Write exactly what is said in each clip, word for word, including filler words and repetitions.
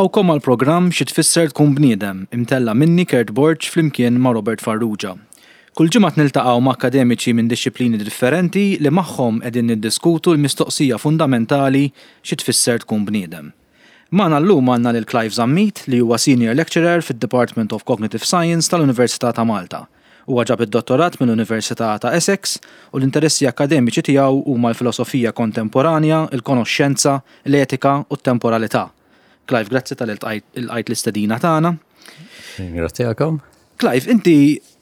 Nilqgħukom għal programm Xi Tfisser Tkun Bniedem, imtella' minni Kurt Borg flimkien ma' Robert Farrugia. Kull ġimgħa niltaqgħu ma' akademiċi minn dixxiplini differenti li magħhom qegħdin niddiskutu l-mistoqsija fundamentali xi tfisser tkun bniedem. Magħna llum għandna lil Clive Zammit, li huwa Senior Lecturer fid-Department of Cognitive Science tal-Università ta' Malta. Huwa ġab id-dottorat mill-Università ta' Essex u l-interessi akademiċi tiegħu huma l-filosofija kontemporanja, il-konoxxenza, l-etika u t-temporalità. Clive, grazzi talli lqajt l-istedina tagħna. Grazzi. Clive, inti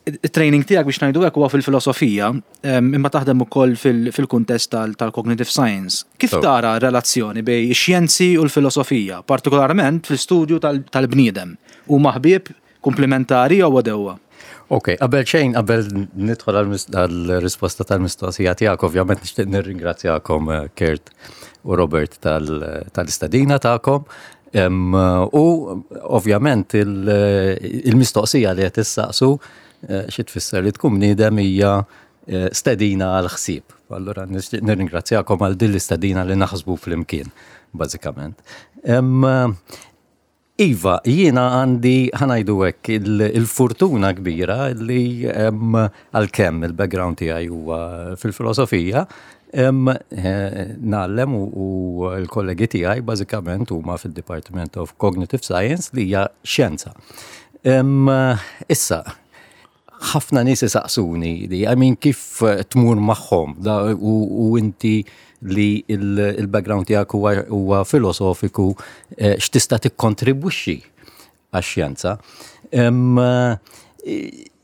il-training tiegħek, biex ngħidu hekk, huwa fil-filosofija, imma taħdem ukoll fil-kuntest tal-cognitive science. Kif tara relazzjoni bejn ix-xjenzi u l-filosofija, partikolarment fil-studju tal-bniedem? Huma ħbieb, komplementari jew għedewwa? Ok, qabel xejn, qabel nidħol għal-risposta tal-mistoqsija tiegħek, ovvjament nixtieq nirringrazzjakom, eh, Kurt u Robert, tal-istedina tagħkom. U ovvjament il-mistoqsija li qed issaqsu, eh, xi tfisser li tkun bniedem, hija eh, stedina għal ħsieb. Allura nixtieq nirringrazzjakom għal din l-istedina li naħsbu flimkien, bażikament. Iva, jiena għandi, ħa ngħidu hekk, il-fortuna kbira li għalkemm il-background tiegħi huwa fil-filosofija, eh, ngħallem u l-kollegi tiegħi bażikament huma fil-Department of Cognitive Science, li hija xjenza. Issa, ħafna nies isaqsuni li, I mean, kif tmur magħhom u inti li il-background tiegħek huwa filosofiku, eh, x'tista' tikkontribwixxi għax-xjenza?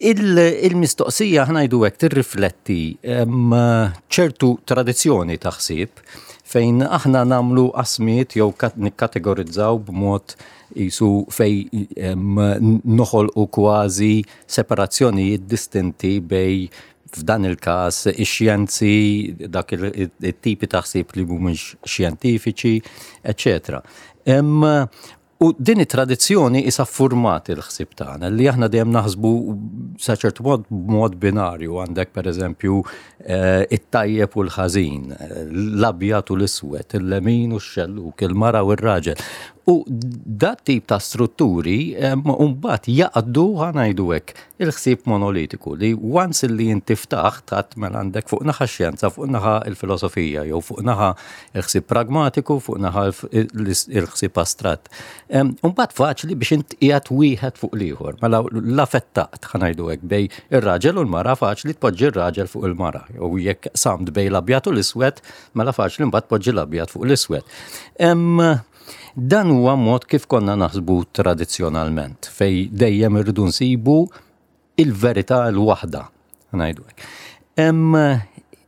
Il-mistoqsija, ħa ngħidu hekk, tirrifletti ċertu tradizzjoni ta' ħsieb fejn aħna nagħmlu qasmiet jew nikkategorizzaw b'mod jisu fej noħolqu kważi separazzjonijiet distinti bejn, f'dan il-każ, ix-xjenzi, dak it-tipi ta' ħsieb li mhumiex xjentifiċi, eċċetera. U din it-tradizzjoni issa format il-ħsieb tagħna li aħna dejjem naħsbu sa ċertu mod b'mod binarju. Għandek, pereżempju, eh, it-tajjeb u l-ħażin, l-abjad u l-iswed, il-lemin u x-xelluk, il-mara u r-raġel. U dat tip ta' strutturi mbagħad jaqdu, ħa ngħidu hekk, il-ħsieb monolitiku li once li inti ftaħt tat mela għandek fuq naħa xjenza, fuq naħa il-filosofija, jew fuq naħa il-ħsieb pragmatiku, fuq naħa il-ħsieb astratt. Mbagħad faċli biex int qiegħed wieħed fuq l-ieħor. Mela la fettaqt, ħa ngħidu hekk, bejn ir-raġel u l-mara, faċli tpoġġi r-raġel fuq il-mara. U jekk qsamt bejn l-abjad u l-iswed, mela faċli mbagħad tpoġġi l-abjad fuq l-iswed. Dan huwa mod kif konna naħsbu tradizzjonalment, fej dejjem irridu nsibu il-verità l-waħda, ngħidu hekk.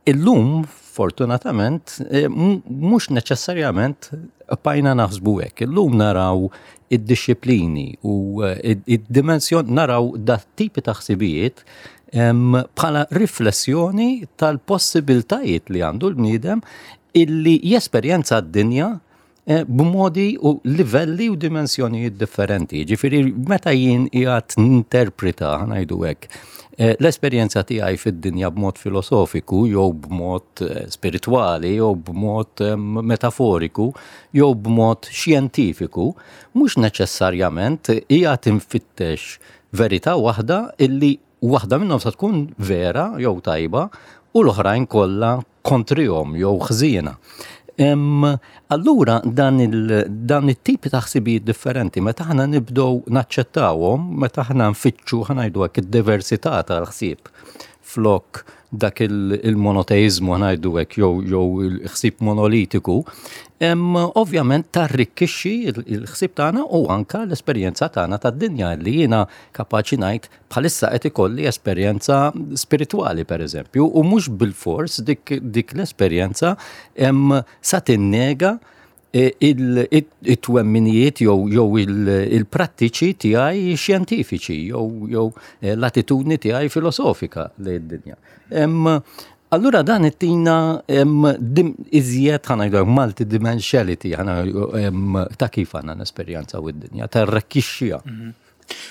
Illum, fortunatament, eh, mhux neċessarjament bqajna naħsbu hekk. Illum naraw id-dixxiplini u eh, id-dimensjon, naraw dat tipi ta' ħsibijiet bħala riflessjoni tal-possibiltajiet li għandu l-bniedem illi jesperjenza d-dinja Eh, b'modi u livelli u dimensjonijiet differenti. Ġifieri, meta jien qiegħed ninterpreta, ngħidu hekk, eh, l-esperjenza tiegħi fid-dinja b'mod filosofiku jew b'mod eh, spiritwali jew b'mod metaforiku jew b'mod xjentifiku, mhux neċessarjament qiegħed infittex verità waħda illi waħda minnhom sa tkun vera jew tajba u l-oħrajn kollha kontrihom jew ħżiena. Allura dan it-tipi ta' ħsibijiet differenti, meta aħna nibdew naċċettawhom, meta aħna nfittxu, ħa ngħidu hekk, id-diversità tal-ħsieb flok dak il-monoteizmu, ħa ngħidu hekk, jew jew il-ħsieb monolitiku, ovvjament tarrikkixxi il-ħsieb tagħna u anka l-esperjenza tagħna tad-dinja, li jiena kapaċi ngħid bħalissa qed ikolli esperjenza spiritwali, pereżempju, u mhux bil-fors dik, dik l-esperjenza sa tinnega e, it-twemminijiet jew jew il-prattiċi tiegħi xjentifiċi jew jew e, l-attitudni tiegħi filosofika lejn id-dinja. Allura dan ittina iżjed, ħa ngħidu, multidimensionality ta' kif għandna l-esperjenza u d-dinja, tarrikkixxiha. Mhm.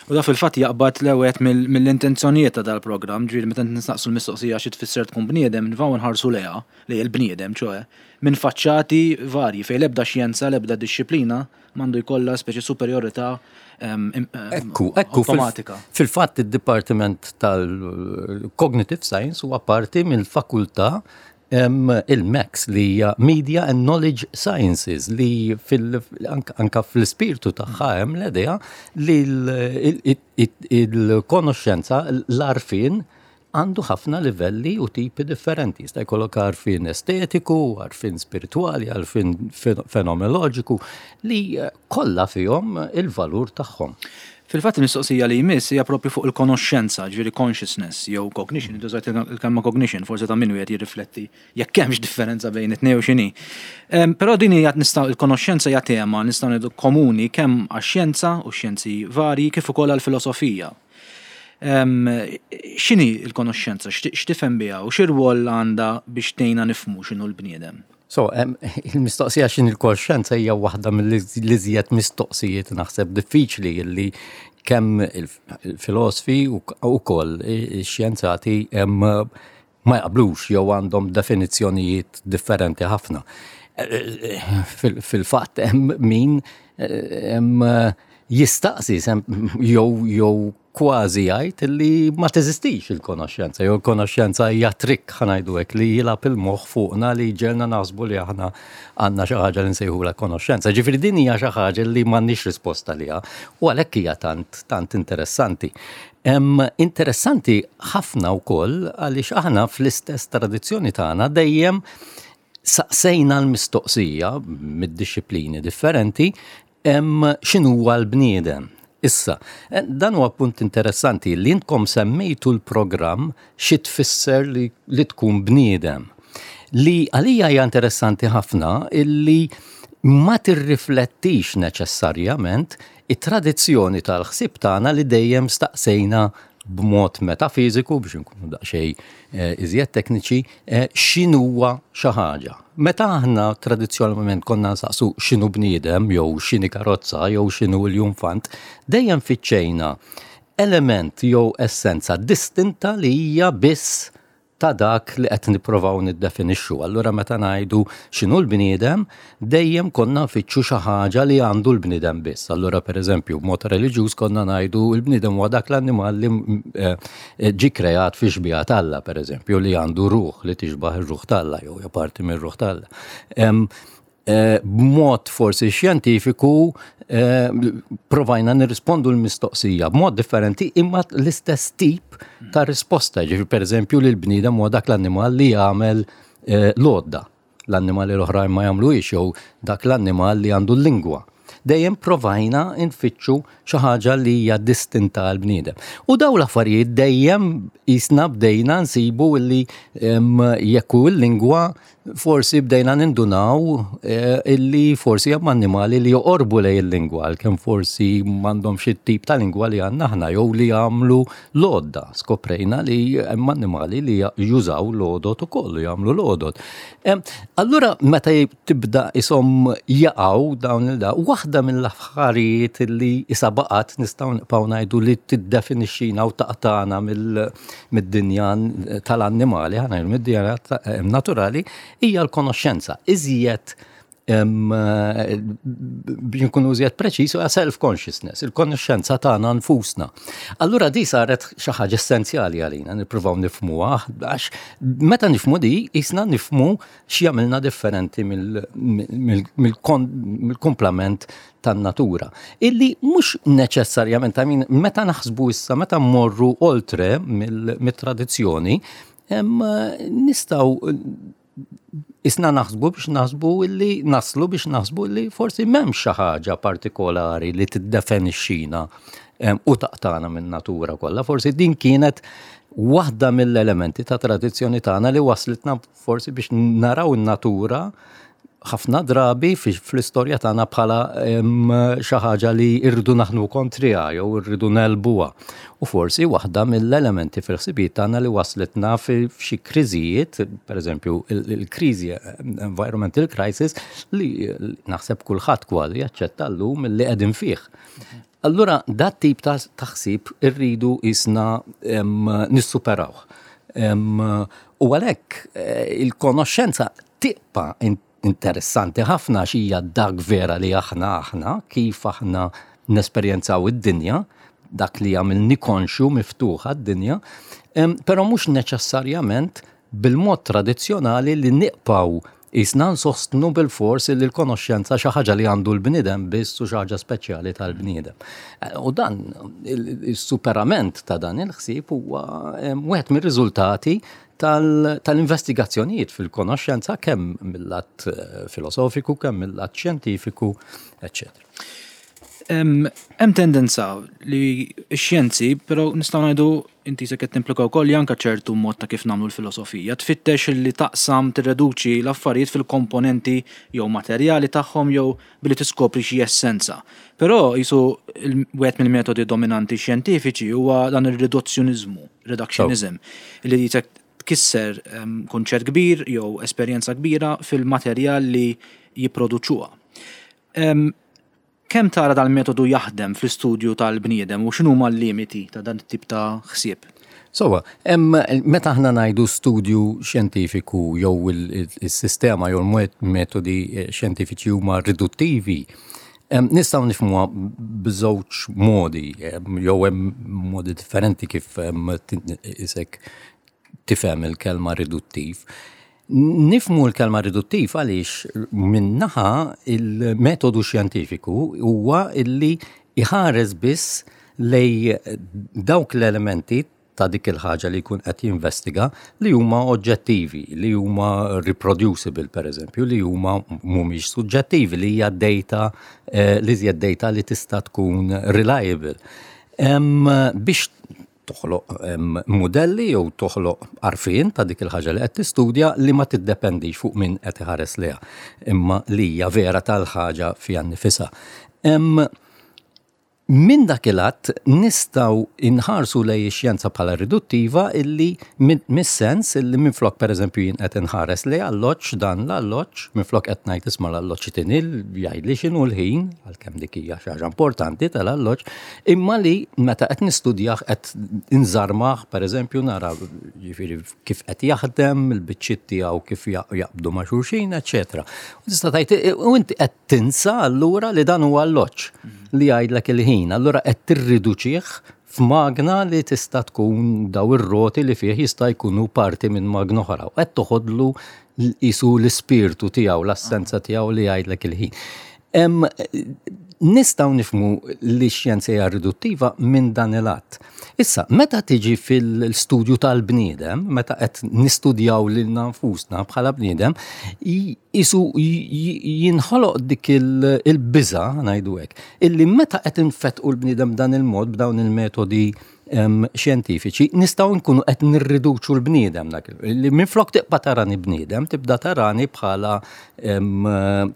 U da fil-fatt jaqbad l-ewwel mill-intenzjonijiet ta' dal-programm, ġifieri meta nistaqsu l-mistoqsija xi tfisser tkun bniedem, nvaw nħarsu lejha, lejn il-bniedem, ċoè, minn faċċati varji fejn l-ebda xjenza, l-ebda dixxiplina m'għandu jkollha speċi superjorità Ekku, ekku, automatika. Fil-fatt id-Dipartiment tal-Cognitive Science huwa parti mill-fakultà il-MECS, li hija Media and Knowledge Sciences, li fil, anka fl-ispirtu tagħha hemm l-idea li il-konoxxenza, l-għarfien għandu ħafna livelli u tipi differenti. Jista' jkollok għarfien estetiku, għarfien spirituali, għarfien fenomenoloġiku li kollha fihom il-valur tagħhom. Fil-fatt il-mistoqsija li jmiss hija propju fuq il-konoxxenza, ġifieri consciousness jew cognition, intużajt il-kelma cognition, forsi ta' min wieħed jirrifletti jekk hemmx differenza bejn it-tnejn u x'inhi. Però din hija nistgħu il-konoxxenza hija tema nistgħu ngħidu komuni kemm għax-xjenza u xjenzi varji kif ukoll għall-filosofija. X'inhi l-konoxxenza, x'tifhem biha u x'irwol għandha biex tgħinna nifhmu x'inhu l-bniedem? So, il-mistoqsija x'inhi l-konoxxenza hija waħda mill-iżjed mistoqsijiet naħseb diffiċli li kemm il-filosofi u wkoll ix-xjenzati ma jaqblux jew għandhom definizzjonijiet differenti ħafna. Fil-fatt hemm min jistaqsi jew jew kważi jgħid li ma teżistix il-konoxxenza, jew il-konoxxenza hija trick, ħa ngħidu hekk, li jilgħab il-moħħ fuqna li ġelna naħsbu li aħna għandna xi ħaġa li nsejħula konoxxenza. Ġifieri din hija xi ħaġa li m'għandniex risposta liha u għalhekk hija tant tant interessanti. Interessanti ħafna wkoll għaliex aħna fl-istess tradizzjoni tagħna dejjem saqsejna l-mistoqsija mid-dixxiplini differenti x'inhuwa l-bniedem. Issa, dan huwa punt interessanti li intkom semmejtu l-programm xi tfisser li, li tkun bniedem. Li għalija hija interessanti ħafna illi ma tirriflettix neċessarjament it-tradizzjoni tal-ħsieb tagħna li dejjem staqsejna b'mod metafiżiku, biex nkunu daqsxejn iżjed tekniċi, x'inhuwa xi ħaġa. Meta aħna tradizzjonalment konna nsaqsu x'inhu bniedem jew x'inhi karozza jew x'inhu l-iljunfant, dejjem fittxejna element jew essenza distinta li hija biss ta' dak li qed nippruvaw niddefinixxu. Allura meta ngħidu x'inhu l-bniedem, dejjem konna nfittxu xi ħaġa li għandu l-bniedem biss. Allura pereżempju b'mod reliġjuż konna ngħidu l-bniedem huwa dak l-annimal li ġie kreat fi xbieha t'Alla, pereżempju, li għandu ruħ li tixbaħ ir-ruħ t'Alla jew hija parti mir-ruħ t'Alla. B'mod forsi xjentifiku provajna nirrispondu l-mistoqsija b'mod differenti imma l-istess tip ta' risposta. Ġifieri pereżempju li l-bniedem huwa dak l-annimal li jagħmel l-għodda. L-annimali l-oħrajn ma jagħmluhiex, jew dak l-annimal li għandu l-lingwa. Dejjem provajna nfittxu xi ħaġa li hija distinta għal bniedem. U daw l-affarijiet dejjem jisna bdejna nsibu li jekk hu l-lingwa forsi bdejna nindunaw illi forsi hemm annimali li joqorbu lejn il-lingwa, għalkemm forsi m'għandhomx xi tip ta' lingwa li għandna aħna jew li jagħmlu l-għodda. Skoprejna li hemm annimali li jużaw l-għodot ukoll, jagħmlu l-għodot. Allura meta tibda isom jaqgħu dawn il-da, waħda mill-affarijiet li issa baqgħet nistgħu nibqgħu ngħidu li tiddefinixxina u taqtagħna mid-dinja tal-annimali, ħa ngħidu mid-dinja naturali, hija l-konoxxenza. Iżjed, biex nkunu iżjed preċiż, huwa self-consciousness, il-konoxxenza tagħna nfusna. Allura di saret xi ħaġa essenzjali għalina nippruvaw nifhmuha, għax meta nifhmu di, jisna nifhmu x'jagħmilna differenti mill-kumplament tan-natura. Illi mhux neċessarjament, I mean, meta naħsbu issa, meta mmorru oltre mill-tradizzjoni, nistgħu isna naħsbu biex naħsbu illi naslu biex naħsbu illi forsi m'hemmx xi ħaġa partikolari li tiddefinixxina u taqtana minn natura kollha. Forsi din kienet waħda mill-elementi ta' tradizzjoni tagħna li waslitna forsi biex naraw in-natura ħafna drabi fl-istorja tagħna bħala xi ħaġa li rridu naħdmu kontriha jew rridu negħlbuha. U forsi waħda mill-elementi fil-ħsibijiet tagħna li waslitna f'xi kriżijiet, pereżempju il-kriżi environmental crisis, li naħseb kulħadd kważi jaċċetta llum li qegħdin fih. Allura, dat tip ta' taħsib irridu jisna nissuperawh. U għalhekk eh, il-konoxxenza tibqa' interessanti ħafna x'hija dak vera li aħna aħna, kif aħna nesperjenzaw id-dinja, dak li jagħmilni konxju miftuħa d-dinja, però mhux neċessarjament bil-mod tradizzjonali li nibqgħu jisna nsostnu bil-fors li l-konoxxenza xi ħaġa li għandu l-bniedem biss u xi ħaġa speċjali tal-bniedem. U dan il-superament ta' dan il-ħsieb huwa wieħed mir-riżultati tal-investigazzjonijiet fil-konoxxenza, kemm mill-lat eh, filosofiku, kemm mill-lat xjentifiku, eċċetera. Hemm tendenza li x-xjenzi, però nistgħu ngħidu inti se qed timplika wkoll li anke ċertu mod ta' kif nagħmlu l-filosofija, tfittex li taqsam, tirreduċi l-affarijiet fil-komponenti jew materjali tagħhom jew billi tiskopri xi essenza. Però jisu wieħed mill-metodi dominanti xjentifiċi huwa dan ir-riduzzjoniżmu, reductionism, li jisek tkisser kunċett kbir jew esperjenza kbira fil-materjal li jipproduċuha. Kemm tara dal-metodu jaħdem fl-istudju tal-bniedem u x'inhuma l-limiti ta' dan it-tip ta' ħsieb? Sowa, meta aħna ngħidu studju xjentifiku jew il-sistema jew il-metodi eh, xjentifiċi huma riduttivi, nistgħu nifhmuha b'żewġ modi, jew hemm modi differenti kif isek tifhem il-kelma riduttiv. Nifhmu l-kelma riduttiv għaliex minnaħa il-metodu xjentifiku huwa illi iħares biss lej dawk l-elementi ta' dik il-ħaġa li jkun qed jinvestiga li huma oġġettivi, li huma reproducible, per eżempju, li huma mhumiex suġġettivi, li hija data, eh, li hija data li tista' tkun reliable. Biex toħloq modelli jew toħloq għarfien ta' dik il-ħaġa li qed tistudja li ma tiddependix fuq min qed iħares leha, imma li hija vera tal-ħaġa fiha nnifisha. Min dak il-att nistgħu inħarsu lej ix-xjenza bħala riduttiva illi mis-sens illi minflok, per eżempju, jien qed inħares lej alloġġ, dan l-alloġġ, minflok qed ngħid, "Isma', l-alloġġ tinil jgħidli x'inhu l-ħin", għalkemm dik hija xi ħaġa importanti tal-alloġġ, imma li meta qed nistudjah qed inżarmah, per eżempju, nara ġifieri kif qed jaħdem, il-biċċiet tiegħu kif jaqbdu ma' xulxin, eċċetera. U tista' tgħid u inti qed tinsa allura li dan huwa alloġġ li jgħidlek il-ħin. Allura qed tirriduċih f'magna li tista' tkun daw ir-roti li fih jista' jkunu parti minn magna oħra. U qed toħodlu jisu l-ispirtu tiegħu, l-essenza tiegħu li jgħidlek il-ħin. Nistgħu nifhmu li x-xjenza hija riduttiva minn dan il-att. Issa, meta tiġi fil-studju tal-bniedem, meta qed nistudjaw lilna nfusna bħala bniedem, jisu jinħoloq dik il-biża, ngħidu hekk, illi meta qed infetqu l-bniedem dan il-mod b'dawn il-metodi xjentifiċi, nistgħu nkunu qed nirriduċu l-bniedem dak li minflok tibqa' tarani bniedem, tibda tarani bħala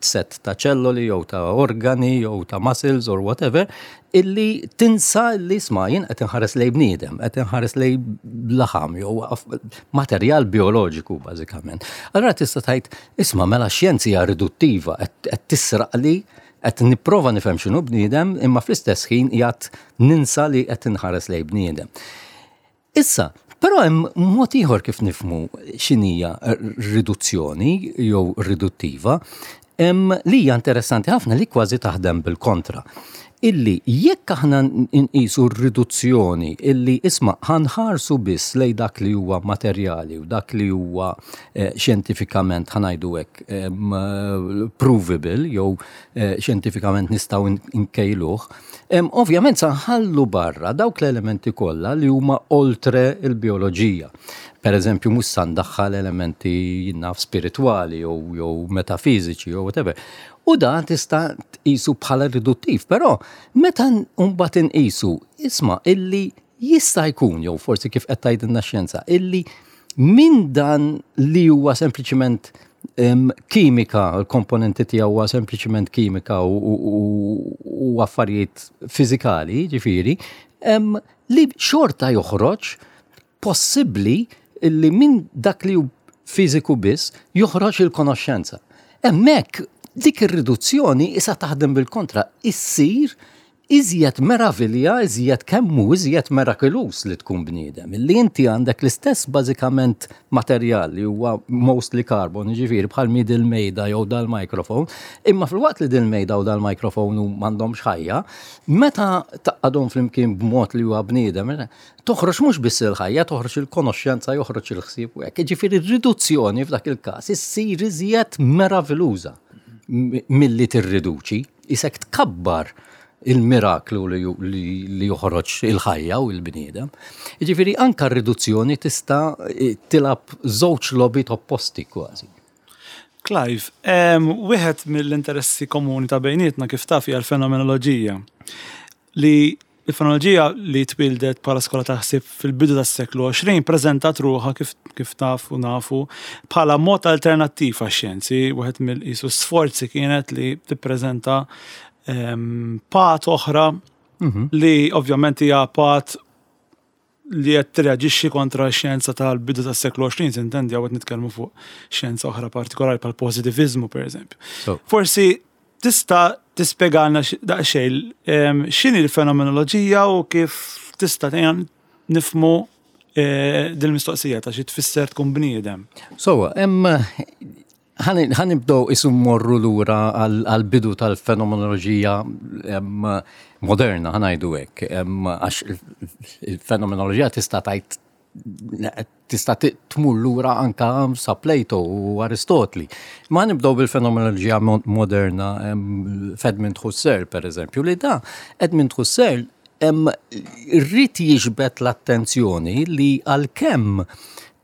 set ta' ċelloli jew ta' organi jew ta' muscles or whatever, illi tinsa li, isma', jien qed inħares lej bniedem, qed inħares lej laħam jew materjal bioloġiku bażikament. Allura tista' tgħid, "Isma', mela xjenza hija riduttiva, qed tisraq li qed nipprova nifhem x'inhu bniedem, imma fl-istess ħin qiegħed ninsa li qed inħares lej bniedem." Issa, però hemm mod ieħor kif nifhmu x'inhija riduzzjoni jew riduttiva, li hija interessanti ħafna, li kważi taħdem bil-kontra. Illi jekk aħna nqisu r-riduzzjoni illi, isma', ħa nħarsu biss lej dak li huwa materjali u dak li huwa eh, xjentifikament, ħa ngħidu hekk, provable jew eh, xjentifikament nistgħu nkejluh, ovvjament sa nħallu barra dawk l-elementi kollha li huma oltre il-bioloġija. Per eżempju, mhux sa ndaħħal elementi jinnaf spiritwali jew jew metafiżiċi jew whatever. U dan tista' tqisu bħala riduttiv, però meta mbagħad inqisu, isma', illi jista' jkun, jew forsi kif qed tgħidilna xjenza, illi minn dan li huwa sempliċiment kimika, l-komponenti tiegħu huwa sempliċiment kimika u, u, u affarijiet fiżikali, ġifieri, li xorta joħroġ possibbli illi minn dak li hu fiżiku biss joħroġ il-konoxxenza. Hemmhekk dik ir-riduzzjoni issa taħdem bil-kontra, issir Iżjed meravilja, iżjed kemm hu iżjed mirakulus li tkun bniedem. Illi inti għandek l-istess bażikament materjal li huwa mostly carbon, ġifieri bħal mi dil-mejda jew dal-mikrofon, imma fil-waqt li dil-mejda u dal-mikrofon m'għandhomx ħajja, meta tgħaqqadhom flimkien b'mod li huwa bniedem, toħroġ mhux biss il-ħajja, toħroġ il-konoxxenza, joħroġ il-ħsieb u hekk. Ġifieri r-riduzzjoni f'dak il-każ issir iżjed meraviljuża milli tirriduċi, isek tkabbar il-miraklu li, li, li joħroġ il-ħajja u il-bniedem. Ġifieri anka r-riduzzjoni tista' tilgħab żewġ logħbiet opposti kważi. Clive, wieħed mill-interessi komuni ta' bejnietna, kif taf, hija l-fenomenoloġija. Li il-fenomenoloġija li twildet bħala skola ta' ħsieb fil-bidu tas-seklu għoxrin preżentat ruħha, kif, kif taf u nafu, bħala mod alternattiv għax-xjenzi. Wieħed mill-qisu sforzi kienet li tippreżenta path oħra li ovvjament hija path li qed tirreaġixxi kontra x-xjenza tal-bidu tas-seklu għoxrin, intendi hawn qed nitkellmu fuq xjenza oħra partikolari bħal pożittiviżmu, pereżempju. Forsi tista' tispjegalna daqsxejn x'inhi l-fenomenoloġija u kif tista' tgħinna nifhmu eh, dil-mistoqsija ta' xi tfisser tkun bniedem. So, hemm ħa nibdew isu morru lura għal-bidu tal-fenomenoloġija moderna, ħa ngħidu hekk, għax il-fenomenoloġija tista' tgħid tista' tmur lura anka sa Plato u Aristotli. Ma nibdew bil-fenomenoloġija moderna f'Edmund Husserl, per eżempju, li da Edmund Husserl ried jiġbed l-attenzjoni li għalkemm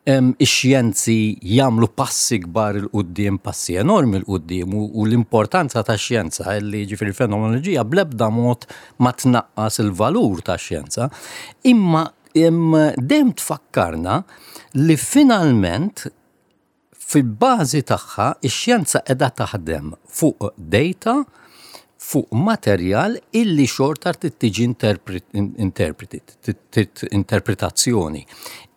ix-xjenzi jagħmlu passi kbar 'il quddiem, passi enormi 'l quddiem, u l-importanza ta' xjenza li ġifieri fenomenoloġija bl-ebda mod ma tnaqqas il-valur ta' xjenza, imma dejjem tfakkarna li finalment fil-bażi tagħha ix-xjenza qiegħda taħdem fuq data, fuq materjal illi xorta trid tiġi interpreted, interpretazzjoni.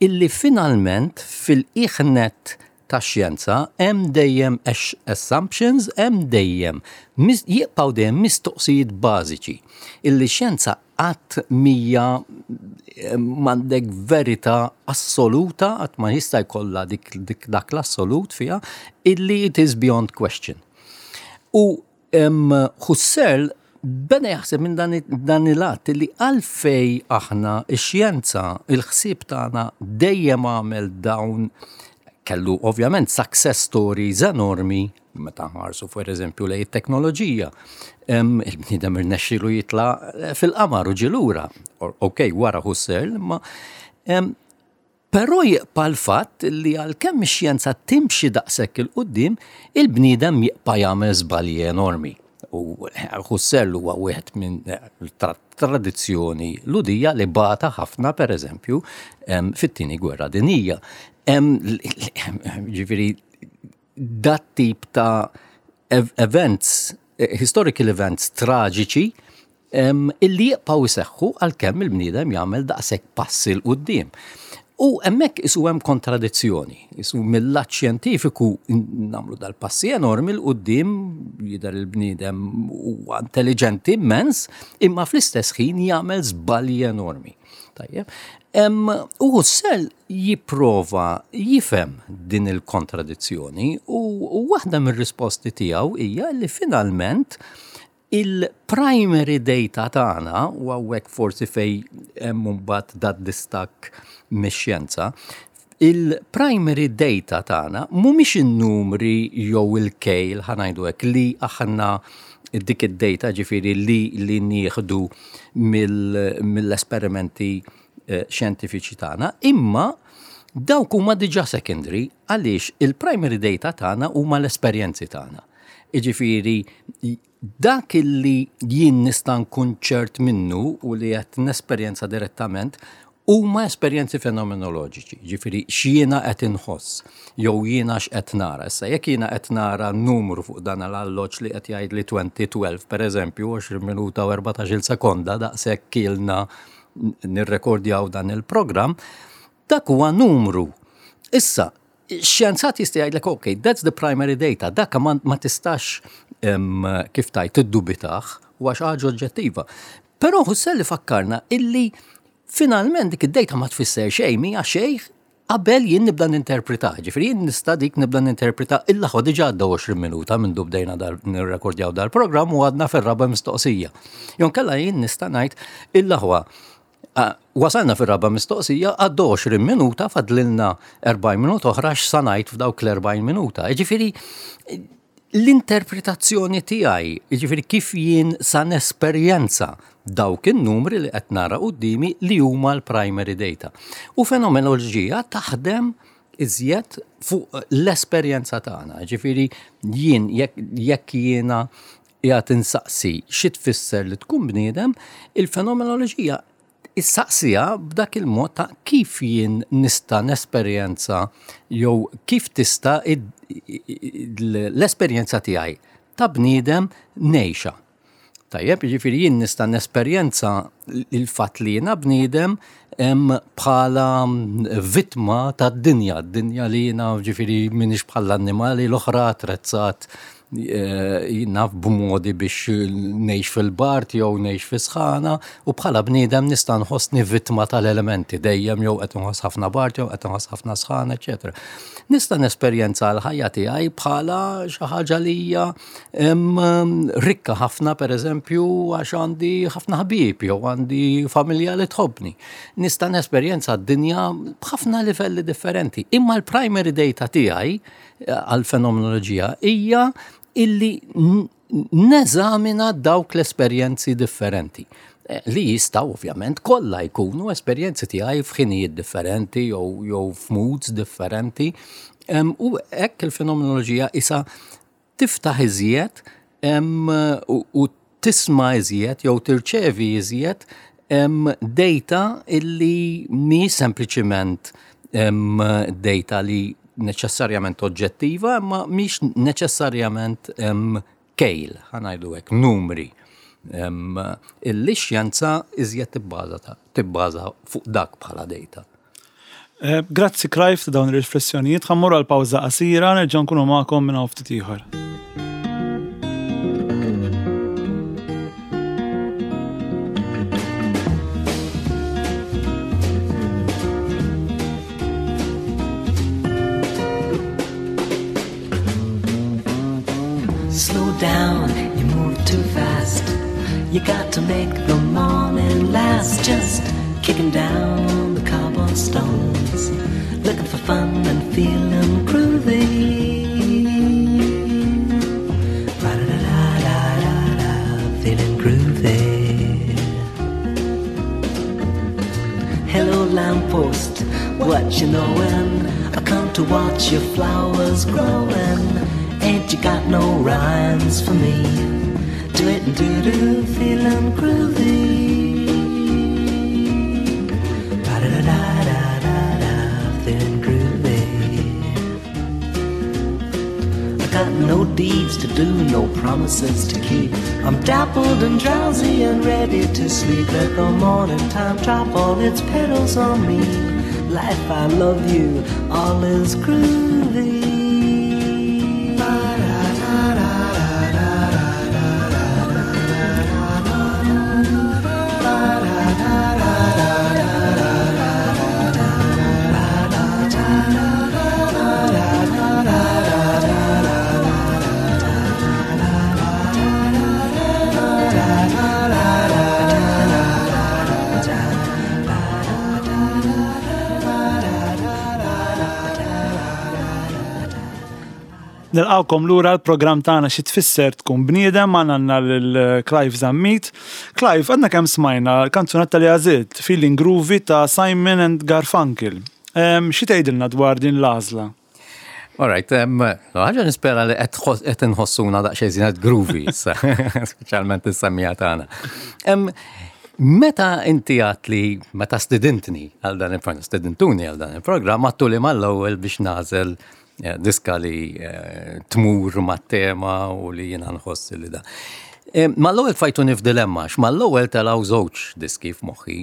Illi finalment fil-iħnet ta' xjenza hemm dejjem assumptions, hemm dejjem jibqgħu dejjem mistoqsijiet bażiċi. Illi xjenza qatt mija m'għandek verità assoluta, qatt ma jista' jkollha dik, dik dak l-assolut fiha, illi it is beyond question. U Husserl beda jaħseb minn dan, dan il-att li għalfej aħna ix-xjenza, il-ħsieb tagħna dejjem għamel dawn, kellu ovvjament success stories enormi, meta ħarsu for eżempju lejn it-teknoloġija. Il-bniedem irnexxielu jitla' fil-qamar u ġie lura. Ok, wara Husserl, ma però jibqa' l-fatt li għalkemm ix-xjenza timxi daqshekk 'il quddiem, il-bniedem jibqa' jagħmel żbalji enormi. U Husserl huwa wieħed minn tradizzjoni Lhudija li bata ħafna, per eżempju, fit-Tieni Gwerra Dinjija. Ġifieri dat tip ta' events, historical events traġiċi illi jibqgħu jseħħu għalkemm il-bniedem jagħmel daqshekk passi 'l quddiem. U hemmhekk isu hemm kontradizzjoni. Isu mill-lat xjentifiku nagħmlu dal-passi enormi 'l quddiem, jidher il-bniedem huwa intelligenti immens, imma fl-istess ħin jagħmel żbalji enormi. Tajjeb. U Husserl jipprova jifhem din il-kontradizzjoni u waħda mir-risposti tiegħu hija li finalment il-primary data tagħna, u hawnhekk forsi fej hemm mbagħad dat distakk mix-xjenza, il-primary data tagħna mhumiex in-numri jew il-kejl, ħa ngħidu hekk, li aħna dik id-data ġifieri li li nieħdu mill-esperimenti eh, xjentifiċi tagħna, imma dawk huma diġà secondary, għaliex il-primary data tagħna huma l-esperjenzi tagħna. Iġifieri dak illi jien nista' nkun ċert minnu u li qed nesperjenza direttament huma esperjenzi fenomenoloġiċi, ġifieri x'jiena qed inħoss jew jiena x'qed nara. Issa jekk jiena qed nara numru fuq dan l-alloġġ li qed jgħid li twenty twelve, pereżempju, għoxrin minuta u erbatax-il sekonda, daqshekk ilna nirrekordjaw dan il-programm, dak huwa numru. Issa, xjenzat jista' jgħidlek, "Ok, that's the primary data," dak ma, ma tistax kif tgħid tiddubitah, huwa xi ħaġa oġġettiva. Però Husserl fakkarna illi finalment dik id-data ma tfisser xejn, mija xejn qabel jien nibda ninterpreta. Ġifieri jien nista' dik nibda ninterpreta illa ħo diġà għadda għoxrin minuta minn du bdejna dar nirrekordjaw dal-programm u għadna fir-raba' mistoqsija. Jew inkella jien nista' ngħid illa ħwa wasalna fir-raba' mistoqsija, għadda għoxrin minuta, fadlilna erbgħin minuta oħra, x'sa ngħid f'dawk l-erbgħin minuta. Ġifieri l-interpretazzjoni tiegħi, ġifieri kif jien sa nesperjenza dawk in-numri li qed nara quddiemi li huma l-primary data. U fenomenoloġija taħdem iżjed fuq l-esperjenza tagħna. Ġifieri jien jekk jiena qiegħed insaqsi xi tfisser li tkun bniedem, il-fenomenoloġija issaqsija b'dak il-mod ta' kif jien nista' nesperjenza jew kif tista' l-esperjenza tiegħi ta' bniedem ngħixha. Tajjeb, ġifieri jien nista' nesperjenza il-fatt li jiena bniedem bħala vittma tad-dinja, d-dinja li jiena ġifieri m'iniex bħall-annimali l-oħra attrezzat naf b'modi biex ngħix fil-bard jew ngħix fi sħana, u bħala bniedem nista' nħossni vittma tal-elementi dejjem jew qed nħoss ħafna bard jew qed nħoss ħafna sħana, eċetera. Nista' nesperjenza l-ħajja tiegħi bħala xi ħaġa li hija rikka ħafna, pereżempju, għax għandi ħafna ħbieb jew għandi familja li tħobbni. Nista' nesperjenza d-dinja b'ħafna livelli differenti. Imma l-primary data tiegħi għal-fenomenoloġija hija illi neżamina dawk l-esperjenzi differenti li jistaw ovvjament kollha jkunu esperjenzi tiegħi f'ħinijiet differenti jew jew f'moods differenti. U hekk il-fenomenoloġija isa tiftaħ iżjed u tisma' iżjed jew tirċevi iżjed data illi mi sempliċiment data li neċessarjament oġġettiva, ma mhix neċessarjament kejl, ħa ngħidu hekk, numri. Illi xjenza iżjed tibbaża tibbaża fuq dak bħala data. Eh, grazzi Clive ta' dawn ir-riflessjonijiet, ħa mmorru għal pawża qasira, nerġa' nkunu magħkom minn hawn ftit ieħor. Slow down, you move too fast. You got to make the morning last. Just kicking down the cobblestones, looking for fun and feeling groovy. Ba-da-da-da-da-da, feeling groovy. Hello lamppost, what you knowin'? I come to watch your flowers growin'. Ain't you got no rhymes for me? Do it and do do, feeling groovy. Ba-da-da-da-da-da, feeling groovy. I got no deeds to do, no promises to keep. I'm dappled and drowsy and ready to sleep. Let the morning time drop all its petals on me. Life, I love you, all is groovy. Nilqawkom lura l-programm tagħna Xi Tfisser Tkun Bniedem, għandna għandna lil Clive Zammit. Clive, għandna kemm smajna l-kanzunetta li għażilt, Feeling Groovy ta' Simon and Garfunkel. Xi tgħidilna dwar din l-għażla? All right, ħaġa nispera li qed inħossuna daqsxejn żinet groovy issa, speċjalment is-semmija tagħna. Meta inti għat li, meta stidintni għal dan il-programm, stidintuni għal dan il-programm, għattu li mal-ewwel biex nagħżel diska li tmur mat-tema u li jiena nħoss li da. Mal-ewwel fajtuni f'dilemma, mal-ewwel telgħu żewġ diski f'moħħi,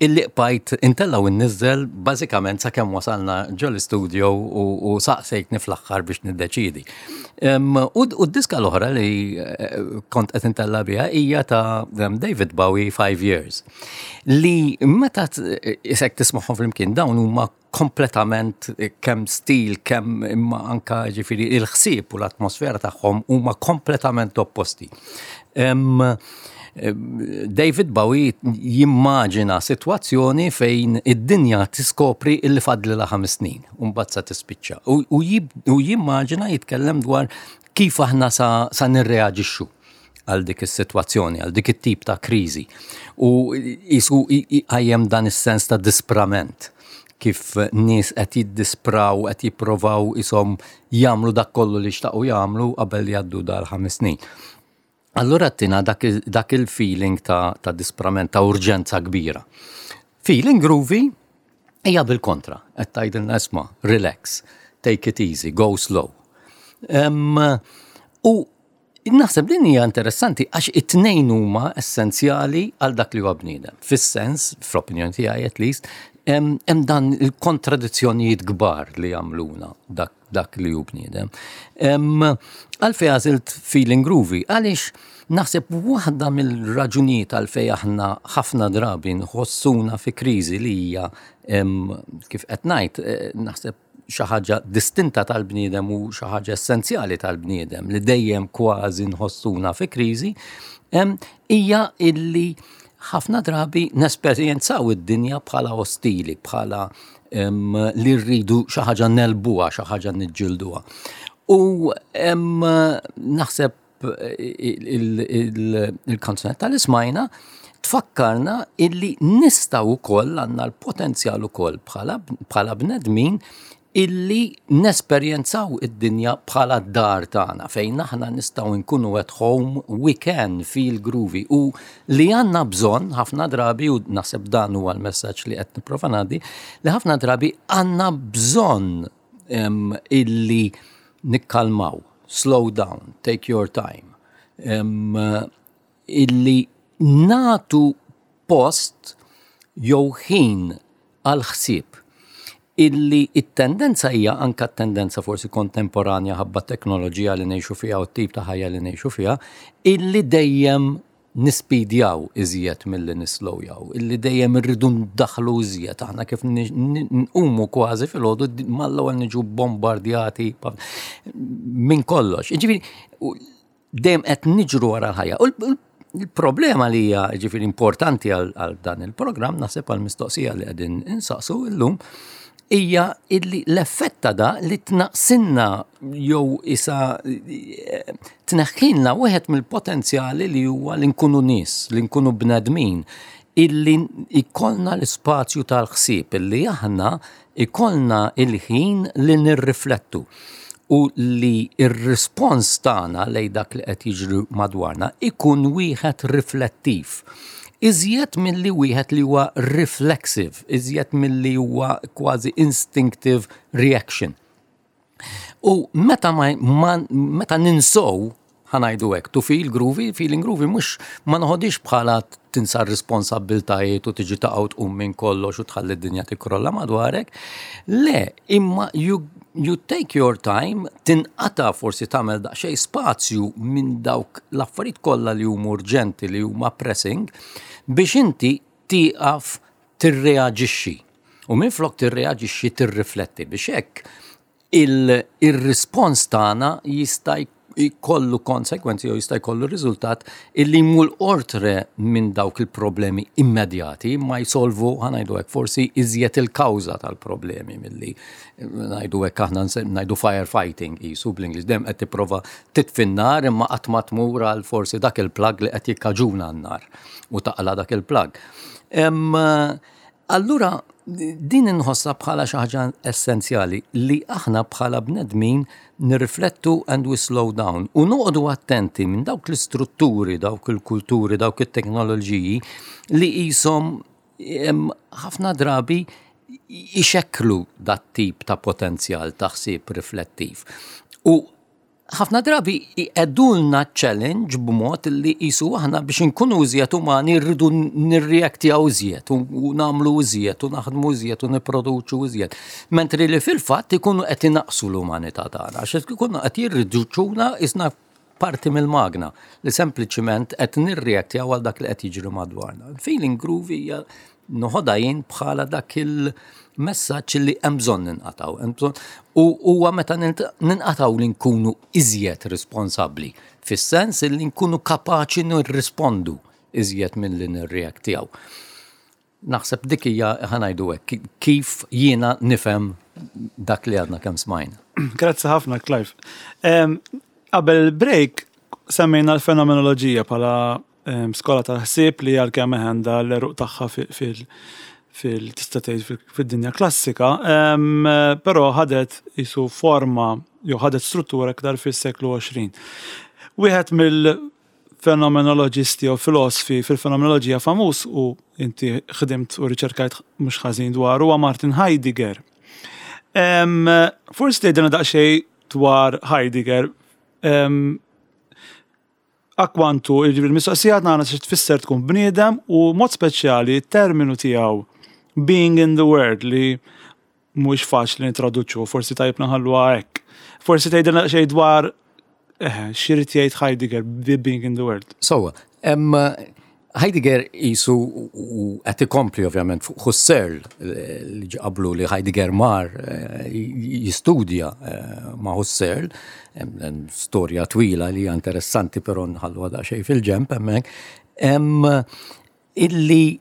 illi qbajt intellgħu inniżżel bażikament sakemm wasalna ġol-studio u saqsejtni fl-aħħar biex niddeċidi. U d-diska l-oħra li eh, kont qed intella biha hija ta' David Bowie Five Years. Li meta isek tismagħhom flimkien dawn huma kompletament eh, kemm stil, kemm imma anka ġifieri il-ħsieb u l-atmosfera tagħhom huma kompletament opposti. Um, David Bowie jimmaġina situazzjoni fejn id-dinja tiskopri illi fadlilha ħames snin, u mbagħad sa tispiċċa. U jimmaġina jitkellem dwar kif aħna sa, sa nirreaġixxu għal dik is-sitwazzjoni, għal dik it-tip ta' kriżi. U jisu għajem dan is-sens ta' disprament kif nies qed jiddispraw, qed jipprovaw isom jagħmlu dak kollu li xtaqu jagħmlu qabel jgħaddu dal-ħames snin. Allura tina dak, dak il-feeling ta', ta' disprament, ta' urġenza kbira. Feeling groovy hija bil-kontra, qed tgħidilna isma' relax, take it easy, go slow. Um, u naħseb din hija interessanti għax it-tnejn huma essenzjali għal dak li huwa bniedem. Fis-sens, fl-opinjoni tiegħi at least, hemm dan il-kontradizzjonijiet kbar li jagħmluna dak, dak li hu bniedem. Għalfejn għażilt feeling groovy, għaliex naħseb waħda mill-raġunijiet għalfejn aħna ħafna drabi nħossuna fi kriżi li hija kif qed ngħid, eh, naħseb xi ħaġa distinta tal-bniedem u xi ħaġa essenzjali tal-bniedem li dejjem kważi nħossuna fi kriżi, hija illi ħafna drabi nesperjenzaw id-dinja bħala ostili, bħala li rridu xi ħaġa negħlbuha, xi ħaġa niġġilduha. U naħseb il-kanzunetta li smajna tfakkarna illi nistgħu wkoll għandna l-potenzjal ukoll bħala bnedmin illi nesperjenzaw id-dinja bħala d-dar tagħna fejn aħna nistgħu nkunu at home, we can feel groovy u li għandna bżonn ħafna drabi u naħseb dan huwa l-messaġġ li qed nipprova ngħaddi li ħafna drabi għandna bżonn um, illi nikkalmaw, slow down, take your time. Um, illi nagħtu post jew ħin għal ħsieb illi it-tendenza hija anka tendenza forsi kontemporanja ħabba teknoloġija li ngħixu fiha u t-tip ta' ħajja li ngħixu fiha, illi dejjem nispidjaw iżjed milli nislowjaw, illi dejjem irridu ndaħlu iżjed, aħna kif nqumu kważi filgħodu mal-ewwel niġu bombardjati minn kollox. Ġifieri dejjem qed niġru wara l-ħajja. Il-problema li hija ġifieri importanti għal dan il-programm naħseb għal mistoqsija li qegħdin insaqsu illum hija illi l-effett ta' da li tnaqsinna jew isa tneħħilna wieħed mill-potenzjali li huwa li nkunu nies, li nkunu bnedmin, illi ikollna l-ispazju tal-ħsieb, illi aħna ikollna il-ħin li nirriflettu u li ir-rispons tagħna lejn dak li qed jiġri madwarna ikun wieħed riflettiv. Iżjed milli wieħed li huwa reflexive, iżjed milli huwa kważi instinctive reaction. U meta ma, ma meta ninsow ħa ngħidu hekk, to feel groovy, feeling groovy mhux ma noħodix bħala tinsa r-responsabiltajiet u tiġi taqgħu tqum minn kollox u tħalli d-dinja tikkrolla madwarek. Le, imma you, you take your time, tinqata forsi tagħmel daqsxejn spazju minn dawk l-affarijiet kollha li huma urġenti li huma pressing biex inti tieqaf tirreaġixxi. U minn flok tirreaġixxi tirrifletti biex hekk il-rispons tagħna jista' jkollu konsekwenzi jew jista' jkollu riżultat illi jmur oltre minn dawk il-problemi immedjati ma jsolvu ħa ngħidu hekk forsi iżjed il-kawża tal-problemi milli ngħidu hekk aħna ngħidu firefighting qisu bl-Ingliż dejjem qed tipprova titfi n-nar imma qatt ma tmur għal forsi dak il-plug li qed jikkaġuna n-nar u taqla dak il-plug. Allura din inħossha bħala xi ħaġa essenzjali li aħna bħala bnedmin nirriflettu and we slow down u noqogħdu attenti minn dawk l-istrutturi, dawk il-kulturi, dawk it-teknoloġiji li qishom ħafna drabi ixekklu dat tip ta' potenzjal ta' ħsieb riflettiv. U Ħafna drabi jqegħdulna challenge b'mod li qisu aħna biex inkunu iżjed umani rridu nirreaktjaw iżjed u nagħmlu iżjed u naħdmu iżjed u nipproduċu iżjed. Mentri li fil-fatt ikunu qed inaqsu l-umanità tagħna, għax ikunu qed jirriduċuna qisna parti mill-magna li sempliċiment qed nirreaktjaw għal dak li qed jiġri madwarna. Feeling groovy hija noħodha jien bħala dak il-messaġġ li hemm bżonn ninqataw. Hemm bżonn u huwa meta ninqataw li nkunu iżjed responsabbli, fis-sens li nkunu kapaċi nirrispondu iżjed minn li nirreaktjaw. Naħseb dik hija, ħa ngħidu hekk, kif jiena nifhem dak li għadna kemm smajna. Grazzi ħafna, Clive. Qabel il-break semmejna l-fenomenoloġija bħala skola tal-ħsieb li għalkemm għandha l-għeruq tagħha fil fil tista' tgħid fid-dinja klassika, però ħadet qisu forma jew ħadet struttura aktar fis-seklu għoxrin. Wieħed mill-fenomenoloġisti jew filosofi fil-fenomenoloġija famuż, u inti ħdimt u riċerkajt mhux ħażin dwar, huwa Martin Heidegger. Forsi tgħidilna daqsxejn dwar Heidegger, akkwantu il-mistoqsija tagħna xi tfisser tkun bniedem u mod speċjali terminu tiegħu "being in the world", li mhux faċli nitraduċu, forsi tajjeb naħalluha hekk. Forsi tgħidilna xejn dwar eh, x'irid jgħid Heidegger "being in the world". So, um, Heidegger qisu u qed ikompli ovvjament fuq Husserl li qablu, li Heidegger mar eh, jistudja eh, ma' Husserl, storja twila li hija interessanti, però nħallu daqsxejn fil-ġenb hemmhekk, illi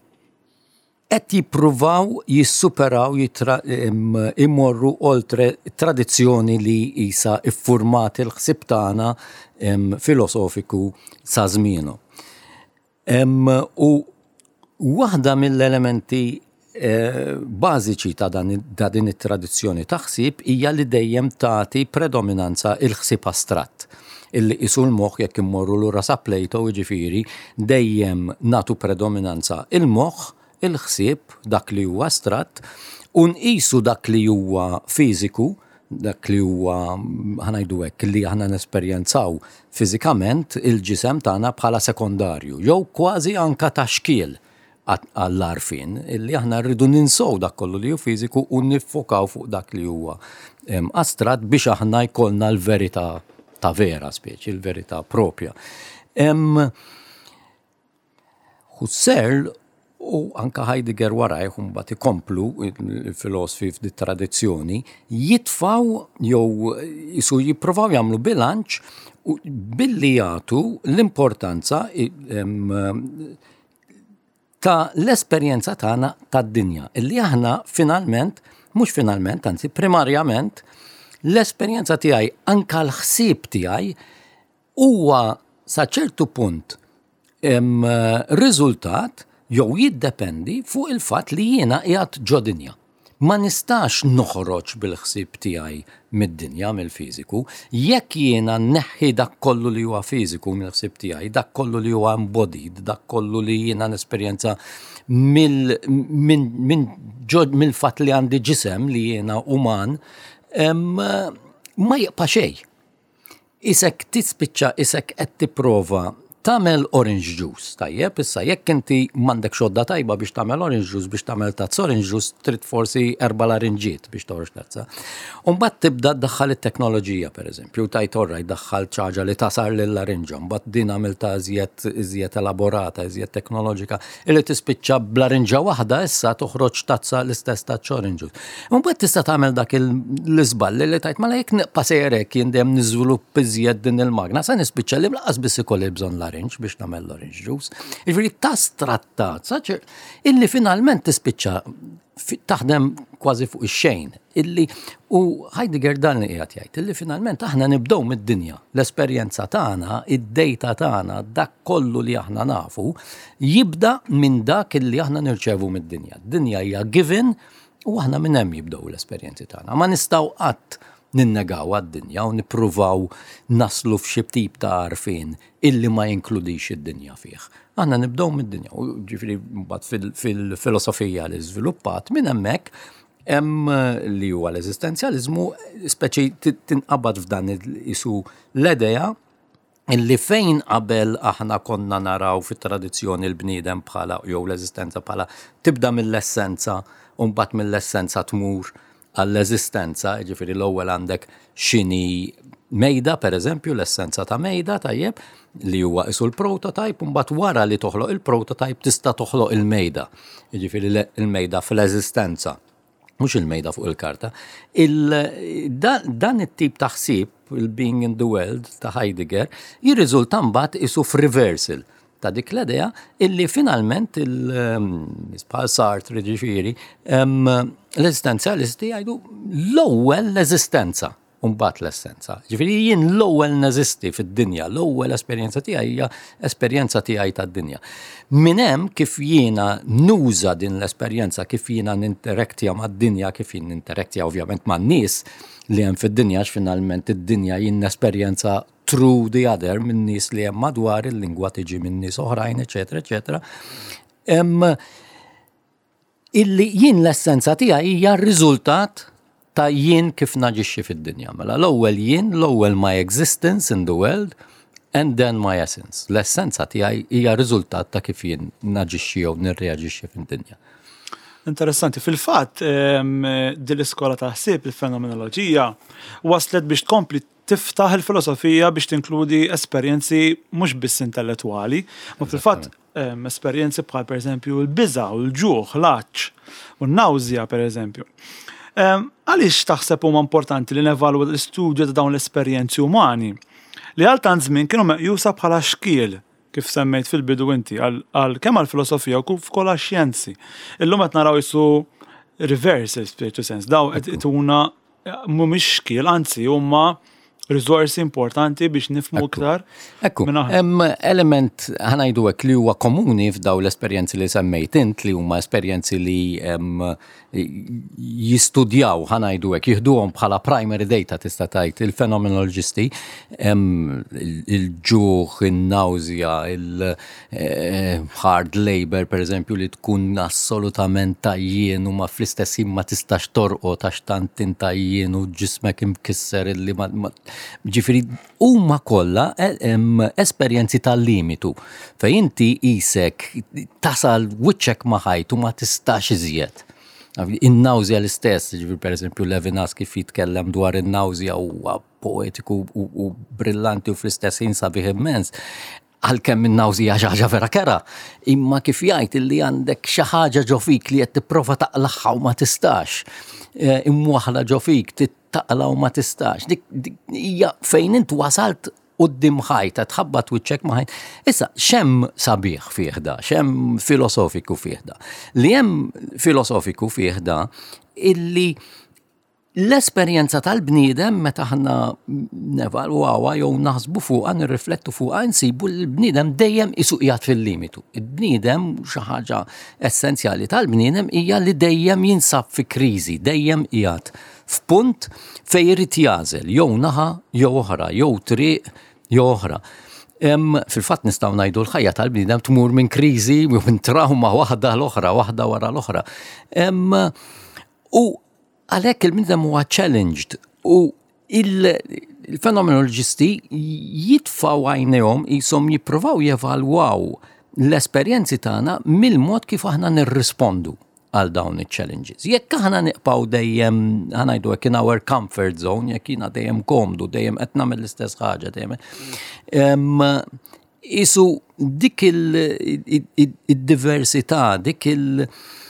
qed jippruvaw jissuperaw, imorru oltre tradizzjoni li qisha iffurmat il-ħsib tagħna filosofiku sa żmienu. U waħda mill-elementi eh, bażiċi ta' din it-tradizzjoni ta' ħsieb hija li dejjem tagħti predominanza il-ħsieb astratt, illi qisu l-moħħ, jekk immorru lura sa Plato, jiġifieri dejjem nagħtu predominanza il-moħħ, il-ħsieb, dak li huwa astratt, u nqisu dak li huwa fiżiku, dak li huwa, ħa ngħidu hekk, li aħna nesperjenzaw fiżikament, il-ġisem tagħna, bħala sekondarju, jew kważi anka ta' xkiel għall-għarfien, illi aħna rridu ninsow dak kollu li hu fiżiku u niffokaw fuq dak li huwa astratt biex aħna jkollna l-verità ta' vera speċi, il-verità propja. Husserl u anka Heidegger warajh mbagħad ikomplu il-filosofi f'di tradizzjoni, jitfaw jew qisu jippruvaw jagħmlu bilanċ billi jagħtu l-importanza ta' l-esperjenza tagħna tad-dinja. Illi aħna finalment, mhux finalment, anzi primarjament, l-esperjenza tiegħi, anka l-ħsieb tiegħi, huwa sa ċertu punt riżultat jew jiddependi fuq il-fatt li jiena qiegħed ġo dinja. Ma nistax noħroġ bil-ħsieb tiegħi mid-dinja, mill-fiżiku. Jekk jiena neħħi dak kollu li huwa fiżiku mill-ħsieb tiegħi, dak kollu li huwa embodied, dak kollu li jiena nesperjenza mill-fatt li għandi ġisem, li jiena uman, ma jibqa' xejn. Qisek tispiċċa qisek qed tipprova tagħmel orange juice, tajjeb, issa jekk inti m'għandek xodda tajba biex tagħmel orange juice, biex tagħmel tazza orange juice, trid forsi erba' larinġiet biex toħroġ tazza. Umbagħad tibda tdaħħal it-teknoloġija, pereżempju, tgħid, "Orrajt, daħħal ħaġa li tagħsar lill-larinġa", mbagħad din għamilta iżjed iżjed elaborata, iżjed teknoloġika, illi tispiċċa b'larinġa waħda issa toħroġ tazza, l-istess tazza orange juice. Mbagħad tista' tagħmel dak l-iżball li tgħid, "Mela jekk nibqa' sejrek jien dejjem niżvilupp iżjed din il-magna, sa nispiċċa li lanqas biss ikolli bżonn larinġ biex nagħmel l-orange juice." Jiġifieri tastrattat, saċer, illi finalment tispiċċa taħdem kważi fuq ix-xejn. Illi u Heidegger dan li qiegħed jgħid, illi finalment aħna nibdew mid-dinja. L-esperjenza tagħna, id-data tagħna, dak kollu li aħna nafu, jibda minn dak illi aħna nirċevu mid-dinja. D-dinja hija given u aħna minn hemm jibdew l-esperjenzi tagħna. Ma nistgħu qatt ninnegaw għad-dinja u nippruvaw naslu f'xi tip ta' għarfien illi ma jinkludix id-dinja fih. Aħna nibdew mid-dinja, u ġifieri mbagħad fil-filosofija li żviluppat minn hemmhekk. Hemm li huwa l-eżistenzjalizmu, speċi tinqabad f'dan isu l-idea illi fejn qabel aħna konna naraw fit-tradizzjoni l-bniedem bħala jew l-eżistenza bħala tibda mill-essenza u mbagħad mill-essenza tmur għall-eżistenza, ġifieri l-ewwel għandek x'inhi mejda, per eżempju, l-essenza ta' mejda, tajjeb, li huwa isu l-prototype, u mbagħad wara li toħloq il-prototype tista' toħloq il-mejda. Ġifieri il-mejda fl-eżistenza, mhux il-mejda fuq il-karta. Il, dan, dan it-tip ta' ħsieb, il-being in the world ta' Heidegger, jirriżulta mbagħad isu f'reversal ta' dik l-idea illi finalment il-bħal Sartre, ġifieri, l-eżistenzjalisti jgħidu l-ewwel l-eżistenza u mbagħad l-essenza. Ġifieri jien l-ewwel neżisti fid-dinja, l-ewwel esperjenza tiegħi hija esperjenza tiegħi tad-dinja. Minn hemm kif jiena nuża din l-esperjenza, kif jiena ninteraktja mad-dinja, kif jien ninteraktja ovvjament man-nies li hemm fid-dinja, għax finalment id-dinja jien esperjenza through the other, minn nies li hemm madwar, il-lingwa tiġi minn nies oħrajn, eċetera, eċetera. Illi jien l-essenza tiegħi hija r-riżultat ta' jien kif naġixxi fid-dinja. Mela l-ewwel jien, l-ewwel my existence in the world, and then my essence. L-essenza tiegħi hija riżultat ta' kif jien naġixxi jew nirreaġixxi fid-dinja. Interessanti. Fil-fatt, din l-iskola ta' ħsieb, il-fenomenoloġija, waslet biex tkompli tiftaħ il-filosofija biex tinkludi esperjenzi mhux biss intellettwali, ma fil-fatt esperjenzi bħal, pereżempju, l-biża' u l-ġuħ, l-għatx u n-nawżja, pereżempju. Għaliex taħseb huma importanti li nevalwu l-istudju ta' dawn l-esperjenzi umani li għal tant żmien kienu meqjusa bħala xkiel, kif semmejt fil-bidu inti, għal kemm għal-filosofija u kif ukoll għax-xjenzi? Illum qed naraw isu reverse spiritual sense. Daw qed ituna mhumiex xkiel, anzi huma risorsi importanti biex nifhmu iktar. Ekku, hemm element, ħa ngħidu hekk, li huwa komuni f'daw l-esperjenzi li semmejt int, li huma esperjenzi li jistudjaw, ħa ngħidu hekk, jieħduhom bħala primary data, tista' tgħid, il-fenomenoloġisti, il-ġuħ, in-nawżja, il-hard labor, per eżempju, li tkun assolutament għajjien u ma fl-istess ma tistax torqod għax tant int għajjien u ġismek imkisser illi ma. Ġifieri huma kollha esperjenzi tal-limitu fejn inti isek tasal wiċċek ma' ħajt u ma tistax iżjed. In-nawżja l-istess, ġifieri per eżempju Levinas kif jitkellem dwar in-nawżja huwa poetiku u brillanti u fl-istess ħin sabiħ immens. Għalkemm in-nawżja xi ħaġa vera kerha, imma kif jgħid illi għandek xi ħaġa ġo fik li qed tipprova taqlagħha u ma tistax. Imwaħla ġo fik, taqla u ma tistax. Dik hija fejn int wasalt quddiem ħajt, tħabbat wiċċek ma' ħajt. Issa, x'hemm sabiħ fih da, x'hemm filosofiku fih da? Li hemm filosofiku fih da illi l-esperjenza tal-bniedem, meta aħna nevalwawha jew naħsbu fuqha, nirriflettu fuqha, nsibu l-bniedem dejjem isu qiegħed fil-limitu. Il-bniedem, xi ħaġa essenzjali tal-bniedem hija li dejjem jinsab fi kriżi, dejjem qiegħed f'punt fejn irid jagħżel jew naħa jew oħra, jew triq jew oħra. Fil-fatt nistgħu ngħidu l-ħajja tal-bniedem tmur minn kriżi u minn trauma waħda l-oħra, waħda wara l-oħra. U għalhekk il-bniedem huwa challenged u il-fenomenoloġisti jitfgħu għajnejhom jisom jippruvaw jevalwaw l-esperjenzi tagħna mill-mod kif aħna nirrispondu għal dawn il-challenges. Jekk aħna nibqgħu dejjem, ħa ngħidu hekk, in our comfort zone, jekk jiena dejjem komdu, dejjem qed nagħmel l-istess ħaġa, dejjem isu dik il-diversità, dik il-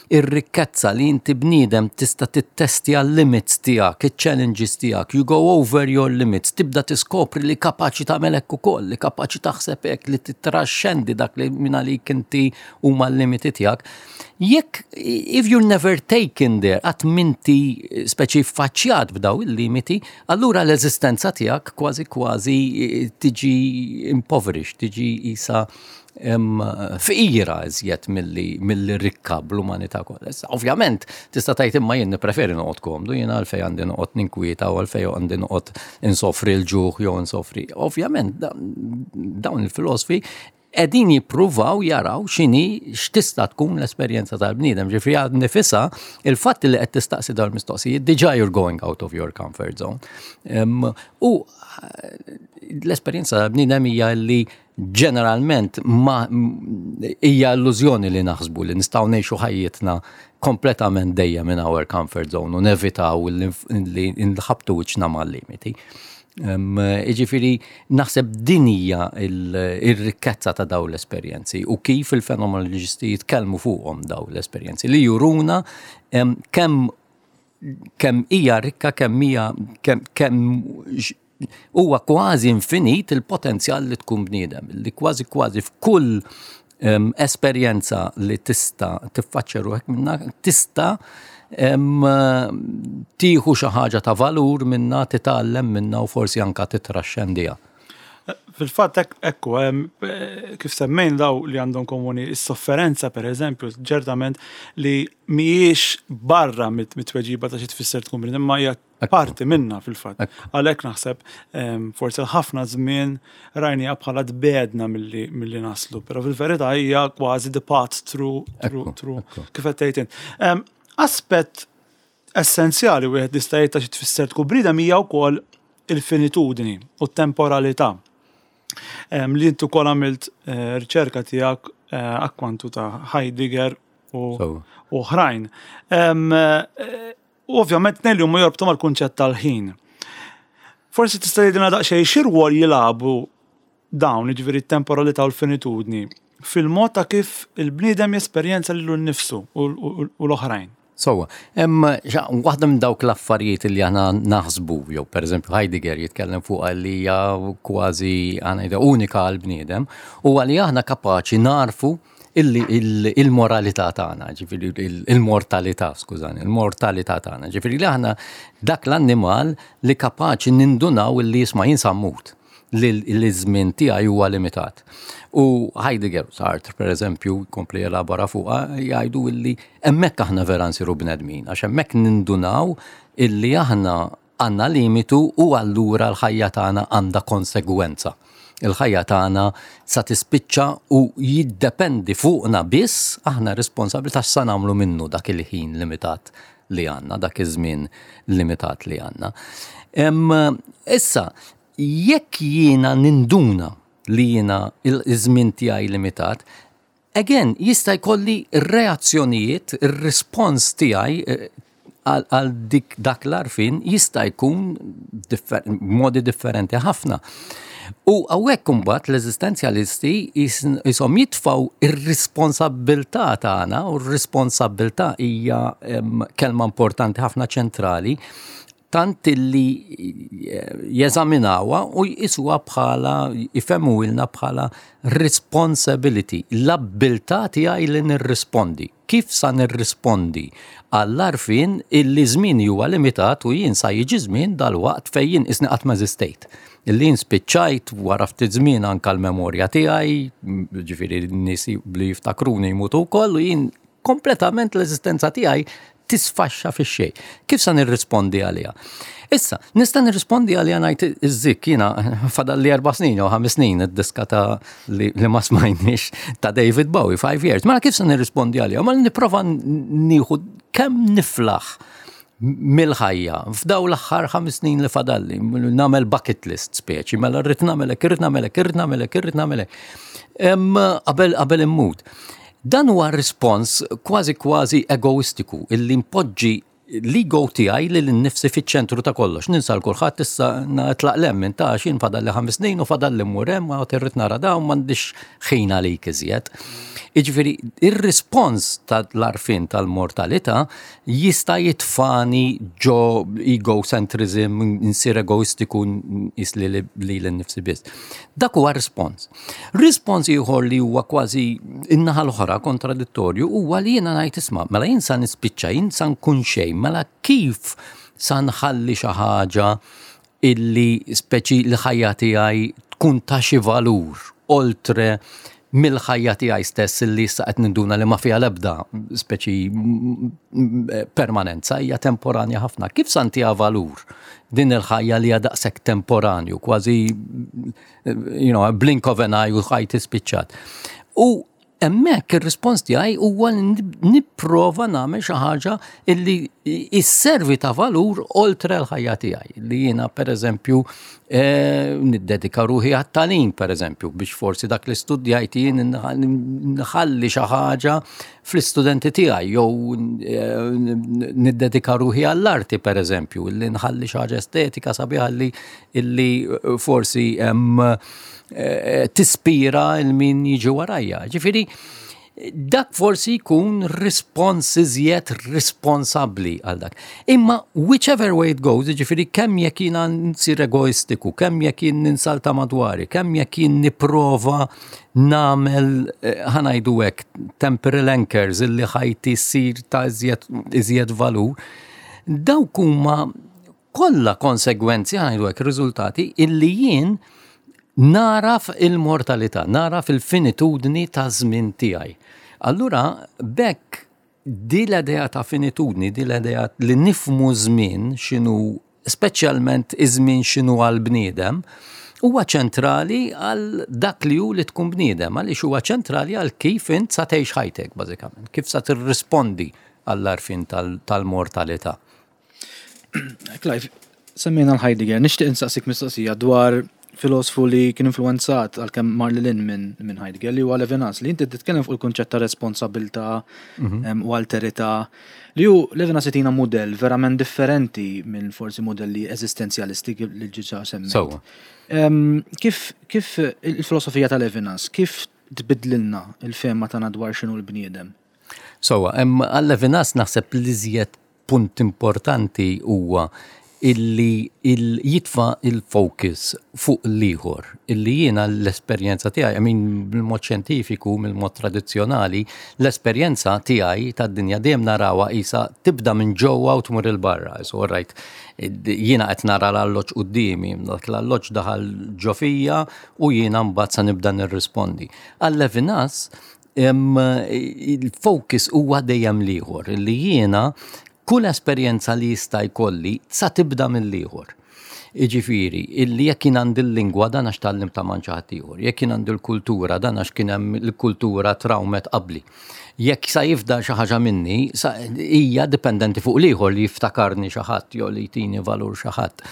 ir-rikkezza li inti bniedem tista' tittestja l-limits tiegħek, il-challenges tiegħek, you go over your limits, tibda tiskopri li kapaċi tagħmel hekk ukoll, li kapaċi taħseb hekk, li titraxxendi dak li minn għalik inti huma l-limiti tiegħek. Jekk if you're never taken there, qatt m'inti speċi faċċjat b'daw il-limiti, allura l-eżistenza tiegħek kważi kważi tiġi impoverished, tiġi isa fqira iżjed milli rikka bl-umanità kollha. Ovvjament, tista' tgħid imma jien nippreferi noqgħod komdu, jien għalfejn għandi noqgħod ninkwieta u għalfejn għandi noqgħod insofri l-ġuħ jew insofri. Ovvjament, dawn il-filosofi Qegħdin jippruvaw jaraw x'inhi, x'tista' tkun l-esperjenza tal-bniedem. Ġifieri għad nifisha, il-fatt li qed tistaqsi dawn mistoqsijiet diġà you're going out of your comfort zone. U l-esperjenza tal-bniedem hija li ġeneralment ma hija illużjoni li naħsbu li nistgħu ngħixu ħajjitna kompletament dejjem minn our comfort zone u nevitaw li nħabtu wiċċna mal-limiti. Iġifiri, naħseb din hija il-rikkezza ta' daw l-esperjenzi u kif il-fenomenoloġisti jitkellmu fuqhom daw l-esperjenzi li juruna kemm kemm hija rikka, kemm hija kemm huwa kważi infinit il-potenzjal li tkun bniedem, li kważi kważi f'kull esperjenza li tista' tiffaċċja ruħek minna tista' tieħu xi ħaġa ta' valur minna, titgħallem minna u forsi anka titraxxendiha. Fil-fatt ekku, kif semmejn daw li għandhom komuni is-sofferenza, per eżempju, ċertament li mhijiex barra mit-tweġiba ta' xi tfisser tkun bniedem, imma hija parti minna fil-fatt. Għalhekk naħseb forsi ħafna żmien rajniha bħala tbegħedna milli naslu, però fil-verità hija kważi the path through through kif qed tgħid. Aspett essenzjali wieħed jista' jgħid ta' xi tfisser tkun bniedem hija wkoll il-finitudni u t-temporalità. Li intu kol għamilt eh, riċerka tiegħek eh, akkwantu ta' Heidegger u oħrajn. Eh, u ovvjament tnejn li huma jorbtu mal-kunċett tal-ħin. Forsi tista' tgħidilna daqsxejn xi rwol jilagħbu dawn, jiġifieri t-temporalità u l-finitudni, fil-mod ta' kif il-bniedem jesperjenza lilu nnifsu u l-oħrajn. Sewwa, waħda minn dawk l-affarijiet li aħna naħsbu, jew per eżempju Heidegger jitkellem fuq li hija kważi għana unika għal-bniedem, u għalli aħna kapaċi narfu il-moralità tagħna, ġifieri il-mortalità, skużani, il-mortalità tagħna. Ġifieri li aħna dak l-annimal li kapaċi nindunaw li jisma' jien sa mmut, li l-żmien tiegħi huwa limitat. U Heidegger, Sartre per eżempju, kompli jelabora fuqha, jgħidu illi hemmhekk aħna vera nsiru bnedmin, għax hemmhekk nindunaw illi aħna għandna limitu u allura l-ħajja tagħna għandha konsegwenza. Il-ħajja tagħna sa tispiċċa u jiddependi fuqna biss, aħna responsabbli ta' sa nagħmlu minnu dak il-ħin limitat li għandna, dak iż-żmien limitat li għandna. Issa, jekk jiena ninduna li jiena il-żmien tiegħi limitat, again, jista' jkolli reazzjonijiet, ir-rispons tiegħi eh, għal dik dak l-għarfien jista' jkun differ modi differenti ħafna. U hawnhekk imbagħad l-eżistenzjalisti jisom jitfaw ir-responsabbiltà tagħna, u r-responsabbiltà hija kelma importanti ħafna, ċentrali, tant illi jeżaminawha u jqisuha bħala, jfehmuhielna bħala responsibility, l-abbiltà tiegħi li nirrispondi. Kif sa nirrispondi għall-għarfien illi żmien huwa limitat u jien sa jiġi żmien dal-waqt fejn jien isni qatt ma eżistejt? Illi jien spiċċajt, wara ftit żmien anka l-memorja tiegħi, ġifieri n-nies li jiftakruni jmutu wkoll u jien kompletament l-eżistenza tiegħi tisfaxxa fix-xejn. Kif sa nirrispondi għaliha? Issa, nista' nirrispondi għaliha ngħid iż-żikk, jiena fadal li erba' snin jew ħames snin, id-diska ta' li, li ma smajniex ta' David Bowie, Five Years. Mela kif sa nirrispondi għaliha? Ma nipprova nieħu kemm niflaħ mill-ħajja f'daw l-aħħar ħames snin li fadalli, nagħmel bucket list speċi, mela rrid nagħmelek, irrid nagħmelek, irrid nagħmelek, irrid nagħmelek. Qabel qabel immut. Dan huwa rispons kważi kważi egoistiku illi npoġġi l-ego tiegħi li l-nifsi fiċ-ċentru ta' kollox. Ninsa 'l kulħadd, issa tlaq lemmin ta' xin fadal li ħames snin u fadal li mmur hemm u irrid nara dawn, m'għandix ħin għalik iżjed. Jiġifieri ir-rispons tal-għarfien tal-mortalità jista' jitfani ġo egocentrism, insir egoistiku, isli li l-nifsi biss. Dak huwa rispons. Rispons ieħor li huwa kważi in-naħa l-oħra, kontradittorju, huwa li jiena ngħid isma', mela jien sa nispiċċa, jien sa nkun xejn, mela kif sa nħalli xi ħaġa illi speċi li ħajja tiegħi tkun ta' xi valur oltre Mill-ħajja tiegħi stess li issa qed ninduna li ma fiha l-ebda speċi permanenza, hija temporanja ħafna. Kif sa ntiha valur din il-ħajja li hija daqshekk temporanju, kważi you know, a blink of an eye u ħajti spiċċat? U hemmhekk ir-rispons tiegħi huwa nipprova nagħmel xi ħaġa illi isservi ta' valur oltre l-ħajja tiegħi. Li jiena, pereżempju, eh, niddedika ruħi għat-tagħlim, pereżempju, biex forsi dak li studjajt jien nħalli xi ħaġa fl-istudenti tiegħi, jew eh, niddedika ruħi għall-arti, pereżempju, li nħalli xi ħaġa estetika sabiħa li illi forsi Eh, tispira 'l min jiġi warajja. Ġifieri, dak forsi jkun rispons iżjed responsabbli għal dak. Imma whichever way it goes, ġifieri kemm jekk jiena nsir egoistiku, kemm jekk jien ninsalta madwari, kemm jekk jien nipprova nagħmel, eh, ħa ngħidu hekk, temporal anchors illi ħajti ssir ta' iżjed valur, dawk huma kollha konsegwenzi, ħa ngħidu hekk, riżultati illi jien naraf il-mortalità, naraf il-finitudni ta' żmien tiegħi. Allura, bekk di l-idea ta' finitudni, di l-idea li nifhmu żmien x'inhu, speċjalment iż-żmien x'inhu għal-bniedem, huwa ċentrali għal dak li hu li tkun bniedem, għaliex huwa ċentrali għal kif int sa tgħix ħajtek bażikament, kif sa tirrispondi għall-għarfien tal-mortalità. Clive, semmejna l-Heidegger, nixtieq insaqsik mistoqsija dwar filosofu li kien influenzat, għalkemm mar lil hinn minn min Heidegger, li huwa Levinas, li inti titkellem fuq il-kunċett ta' responsabilità mhm. u alterità, li hu Levinas jtina modell verament differenti minn forsi modelli eżistenzjalisti li diġà semmejt. Kif, kif il-filosofija ta' Levinas, kif tbidlilna il-fehma tagħna dwar x'inhu l-bniedem? So, għal Levinas naħseb li iżjed punt importanti huwa illi il jitfa il-focus fuq l-ieħor, illi jiena l-esperjenza tiegħi, I mean, bil-mod xjentifiku, mill-mod tradizzjonali, l-esperjenza tiegħi tad-dinja dejjem narawha isa tibda minn ġewwa u tmur 'il barra. So, right, jiena qed nara l-alloġġ quddiemi, dak l-alloġġ daħal ġo fija u jiena mbagħad sa nibda nirrispondi. Għal Levinas il-focus huwa dejjem l-ieħor, illi jiena kull esperjenza li jista' jkolli sa tibda mill-ieħor. Iġifieri, illi jekk jien għandi l-lingwa, dan għax tgħallimtha minn ħadd ieħor, jekk jien għandi l-kultura, dan għax kien hemm l-kultura trawmet qabli. Jekk sa jifdal xi ħaġa minni, hija dipendenti fuq l-ieħor, li jiftakarni xi ħadd jew li jtini valur xi ħadd.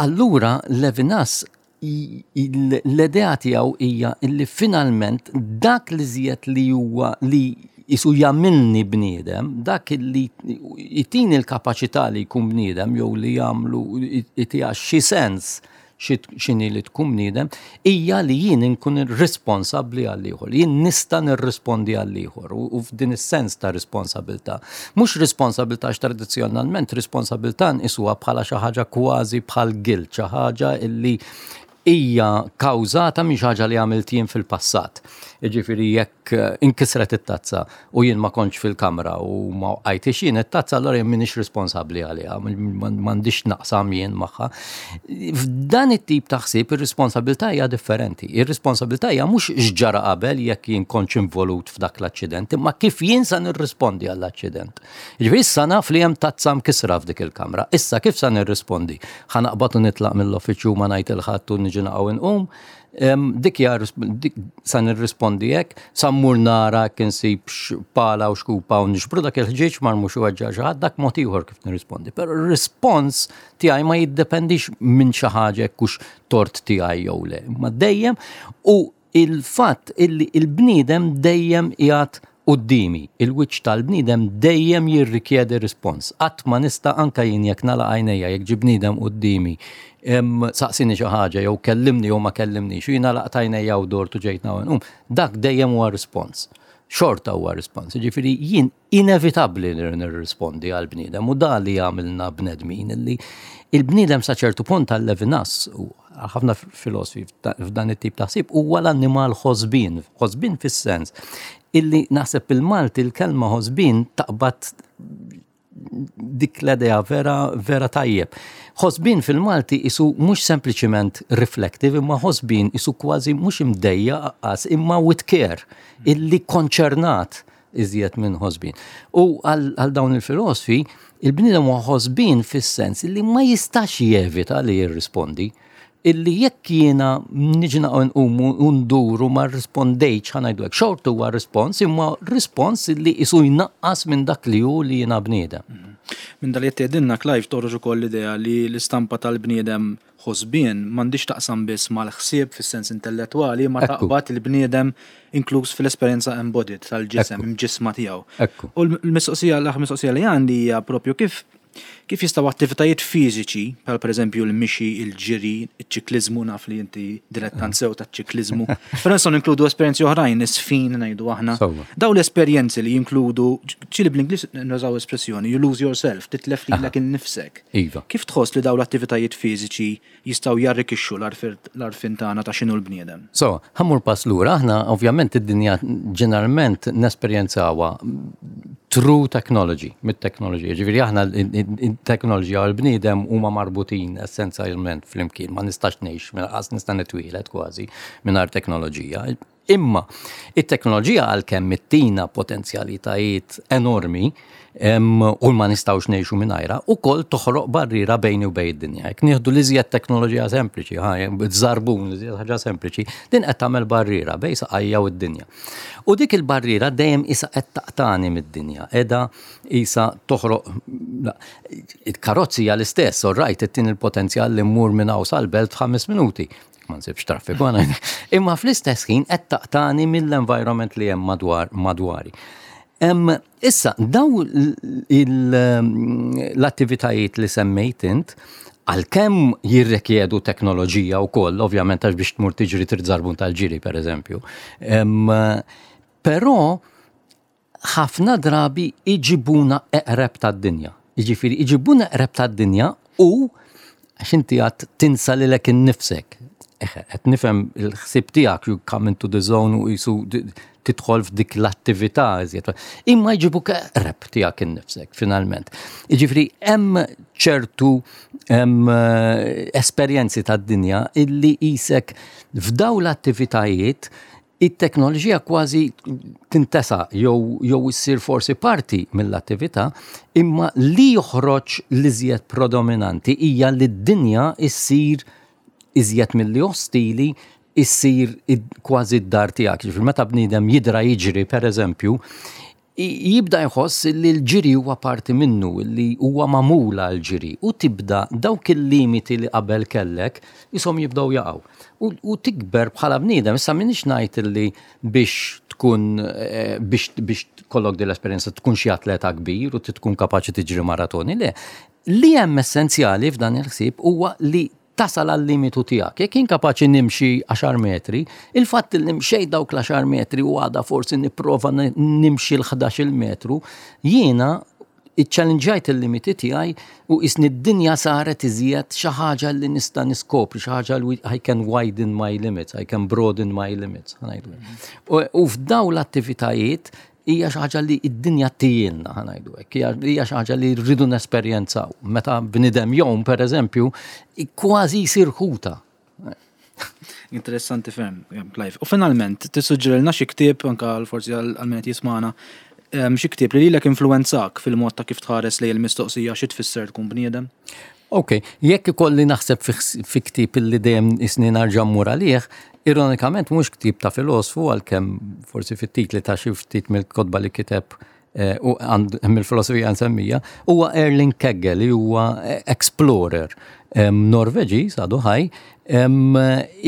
Allura Levinas l-idea tiegħu hija illi finalment dak li żjed li huwa li jisu jagħmilni bniedem, dak li jtini l-kapaċità li jkun bniedem jew li jagħmlu jtiha xi sens x'inhi li tkun bniedem, hija li jien nkun responsabbli għall-ieħor, jien nista' nirrispondi għall-ieħor u f'din is-sens ta' responsabilità. Mhux responsabilità, għax tradizzjonalment responsabilità nqisuha bħala xi ħaġa kważi bħal guilt, xi ħaġa illi hija kawżata minn xi ħaġa li għamilt jien fil-passat. Jiġifieri, jekk eh, inkisret it-tazza u jien ma kontx fil-kamra u ma għajtix jien it-tazza, allora jien m'iniex responsabbli għaliha, m'għandix naqsam jien magħha. F'dan it-tip ta' ħsieb ir-responsabilità hija differenti. Ir-responsabilità hija mhux x'ġara qabel, jekk jien kontx involut f'dak l-aċċident, imma kif jien sa nirrispondi għall-aċċident. Jiġifieri issa naf li hemm tazza mkisra f'dik il-kamra. Issa kif sa nirrispondi? Ħa naqbad u nitlaq mill-uffiċċju, ma ngħid 'il ħadd u niġi naqgħu nqum? Dik hija sa nirrispondi hekk, sa mmur nara kien nsib pala u xkupa u nixbru dak il-ħġieġ mar mhux weġġa' xi ħadd, dak mod ieħor kif nirrispondi. Però r-rispons tiegħi ma jiddependix minn xi ħaġa jekk hux tort tiegħi jew le. Ma dejjem u il-fatt illi il-bniedem dejjem qiegħed quddiemi, il-wiċċ tal-bniedem dejjem jirrikjedi rispons. Qatt ma nista', anka jien jekk nagħlaq għajnejja, jekk ġie bniedem quddiemi, saqsini xi ħaġa jew kellimni jew ma kellimnix, u jiena għalaqt għajnejja u dort u ġejt um, dak dejjem huwa rispons. Xorta huwa rispons. Ġifieri jien inevitabbli li nirrispondi għal bniedem u da li jagħmilna bnedmin, illi il-bniedem sa ċertu punt għal Levinas u ħafna filosofi f'dan it-tip ta' ħsieb huwa l-annimal ħosbin, ħosbin fis-sens illi naħseb il-Malti il-kelma ħosbin taqbad Dik l-idea vera, vera tajjeb. Ħosbin fil-Malti isu mhux sempliċiment reflective, imma ħosbin isu kważi mhux imdejjaq anqas, imma with care, illi konċernat iżjed minn ħosbin. U għal dawn il-filosofi, il-bniedem huwa ħosbin fis-sens illi ma jistax jevita li jirrispondi, illi jekk jiena niġi nqumu u nduru ma rrispondejtx, ħa ngħidu hekk, xorta huwa rispons, imma rispons illi isu jnaqqas minn dak li hu li jiena bniedem. Minn dal tgħidilna, Clive, toħroġ ukoll l-idea li l-istampa tal-bniedem ħosbien m'għandix taqsam biss mal-ħsieb fis-sens intellettwali, ma Ekku. taqbad il-bniedem inkluż fil-esperjenza embodied tal-ġisem, Ekku. imġisma tiegħu. Ekku. U l-mistoqsija, l-aħħar mistoqsija li għandi hija propju kif kif jistgħu attivitajiet fiżiċi, bħal pereżempju l-mixi, il-ġiri, iċ-ċikliżmu, naf li inti dilettant sew taċ-ċikliżmu. Però nistgħu ninkludu esperjenzi oħrajn, isfin ngħidu aħna. Sewwa. Daw l-esperjenzi li jinkludu, ġieli bl-Ingliż nużaw espressjoni, "you lose yourself", titlef lilek innifsek. Iva. Kif tħoss li daw l-attivitajiet fiżiċi jistgħu jarrikixxu l-għarfien tagħna ta' x'inhu l-bniedem? So, ħa mmur pass lura, aħna ovvjament id-dinja ġeneralment nesperjenzawha through technology, mit-teknoloġija. Ġifieri aħna il-teknoloġija u l-bniedem huma marbutin essenzjalment flimkien, ma nistax ngħix, lanqas nista' nitwieled kważi mingħajr teknoloġija. Imma it-teknoloġija, għalkemm ittina potenzjalitajiet enormi em, u ma nistgħux ngħixu mingħajrha, ukoll toħroq barriera bejni u bejn id-dinja. Jekk nieħdu l-iżjed teknoloġija sempliċi, ħa, żarbun, l-iżjed ħaġa sempliċi, din qed tagħmel barriera bejn saqajja u d-dinja. U dik il-barriera dejjem isa qed taqtani mid-dinja, qiegħda isa toħroq la, il-karozzi hija l-istess, all right, ittin il-potenzjal li mmur minn hawn sal-belt f'ħames minuti. Ma nsibx traffiku għana. Imma fl-istess ħin qed taqtani mill-environment li hemm madwar madwari. Em, issa, daw il- l-attivitajiet li semmejt int, għalkemm jirrekjedu teknoloġija u koll, ovvjament, għax biex tmur tiġri trid żarbun tal-ġiri, per eżempju. Em, Però ħafna drabi iġibuna eqreb tad-dinja. Jiġifieri iġibuna eqreb tad-dinja u għax inti għad tinsa lilek innifsek. Eħe, qed nifhem il-ħsieb tiegħek, you come into the zone u jisu tidħol f'dik l-attività iżjed. Imma jġibuk eqreb tiegħek innifsek finalment. Jiġifieri hemm ċertu hemm, eh, esperjenzi tad-dinja illi isek f'daw l-attivitajiet it-teknoloġija kważi tintesa jew jew issir forsi parti mill-attività, imma li joħroġ l-iżjed predominanti hija li d-dinja issir iżjed milli ostili, issir id- kważi d-dar tiegħek. Ġifieri meta bniedem jidra jiġri, per eżempju, i- jibda jħoss li l-ġiri huwa parti minnu, li huwa magħmula l-ġiri, u tibda dawk il-limiti li qabel kellek jisom jibdew jaqgħu. U, u tikber bħala bniedem. Issa m'iniex ngħid li biex tkun eh, biex biex kollok din l-esperjenza tkun xi atleta kbir u tkun kapaċi tiġri maratoni, le. Li hemm essenzjali f'dan il-ħsieb huwa li tasal għal limitu tiegħek. Jekk jien kapaċi nimxi għaxar metri, il-fatt li mxejt dawk l-għaxar metri u għada forsi nipprova n- nimxi l-ħdax-il metru, jiena iċċallenġajt il-limiti tiegħi u isni d-dinja saret iżjed xi ħaġa li nista' niskopri, xi ħaġa li I can widen my limits, I can broaden my limits, ħa ngħidu. U, u f'daw l-attivitajiet hija xi ħaġa li d-dinja ttihielna, ħa ngħidu hekk, hija hija xi ħaġa li rridu nesperjenzaw. Meta bniedem jgħum, per eżempju, kważi jsir ħuta. Interessanti ferm, Clive. U finalment, tissuġġerilna xi ktieb, anka għal forsi għal għal min qed jismana, em, xi ktieb li lilek influenzak fil-mod ta' kif tħares lejn il-mistoqsija xi tfisser tkun bniedem? Ok, jekk ikolli naħseb fi, fi ktieb illi dejjem isni narġa' mmur għalih, ironikament mhux ktieb ta' filosfu, għalkemm forsi fit-titli ta' xi ftit mill-kotba li kiteb eh, u għand hemm il-filosofija nsemmija, huwa Erling Kagge, li huwa eh, explorer em, Norveġi, għadu ħaj, em,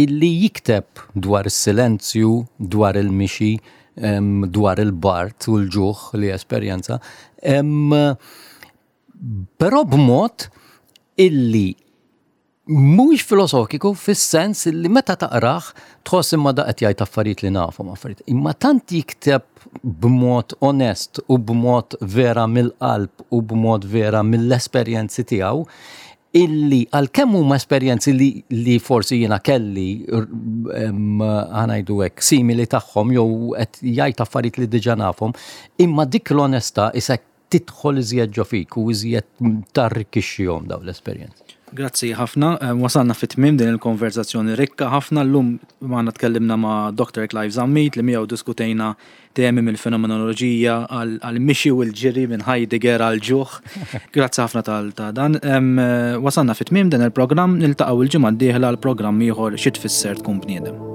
illi jikteb dwar is-silenzju, dwar il-mixi, em, dwar il-bard u l-ġuħ li esperjenza. Em, Però b'mod illi mhuwiex filosofiku fis-sens illi meta taqrah tħoss imma da qed jgħid affarijiet li nafhom affarijiet. Imma tant jikteb b'mod onest u b'mod vera mill-qalb u b'mod vera mill-esperjenzi tiegħu illi għalkemm huma esperjenzi li, li forsi jiena kelli em, ħa ngħidu hekk simili tagħhom jew qed jgħid affarijiet li diġà nafhom, imma dik l-onestà isek Tidħol iżjed ġo fik u iżjed tarrikkixxihom daw l-esperjenzi. Grazzi ħafna. Eh, Wasalna fit tmiem din il-konverzazzjoni rikka ħafna. Llum magħna tkellimna ma' Doctor Clive Zammit li miegħu diskutejna temi mill-fenomenoloġija għal-mixi u l-ġiri, minn Heidegger għal-ġuħ. Grazzi ħafna tal ta' dan. Em, eh, Wasalna fit tmiem din il-programm, niltaqgħu il-ġimgħa d-dieħla għal programm ieħor, Xi Tfisser Tkun Bniedem.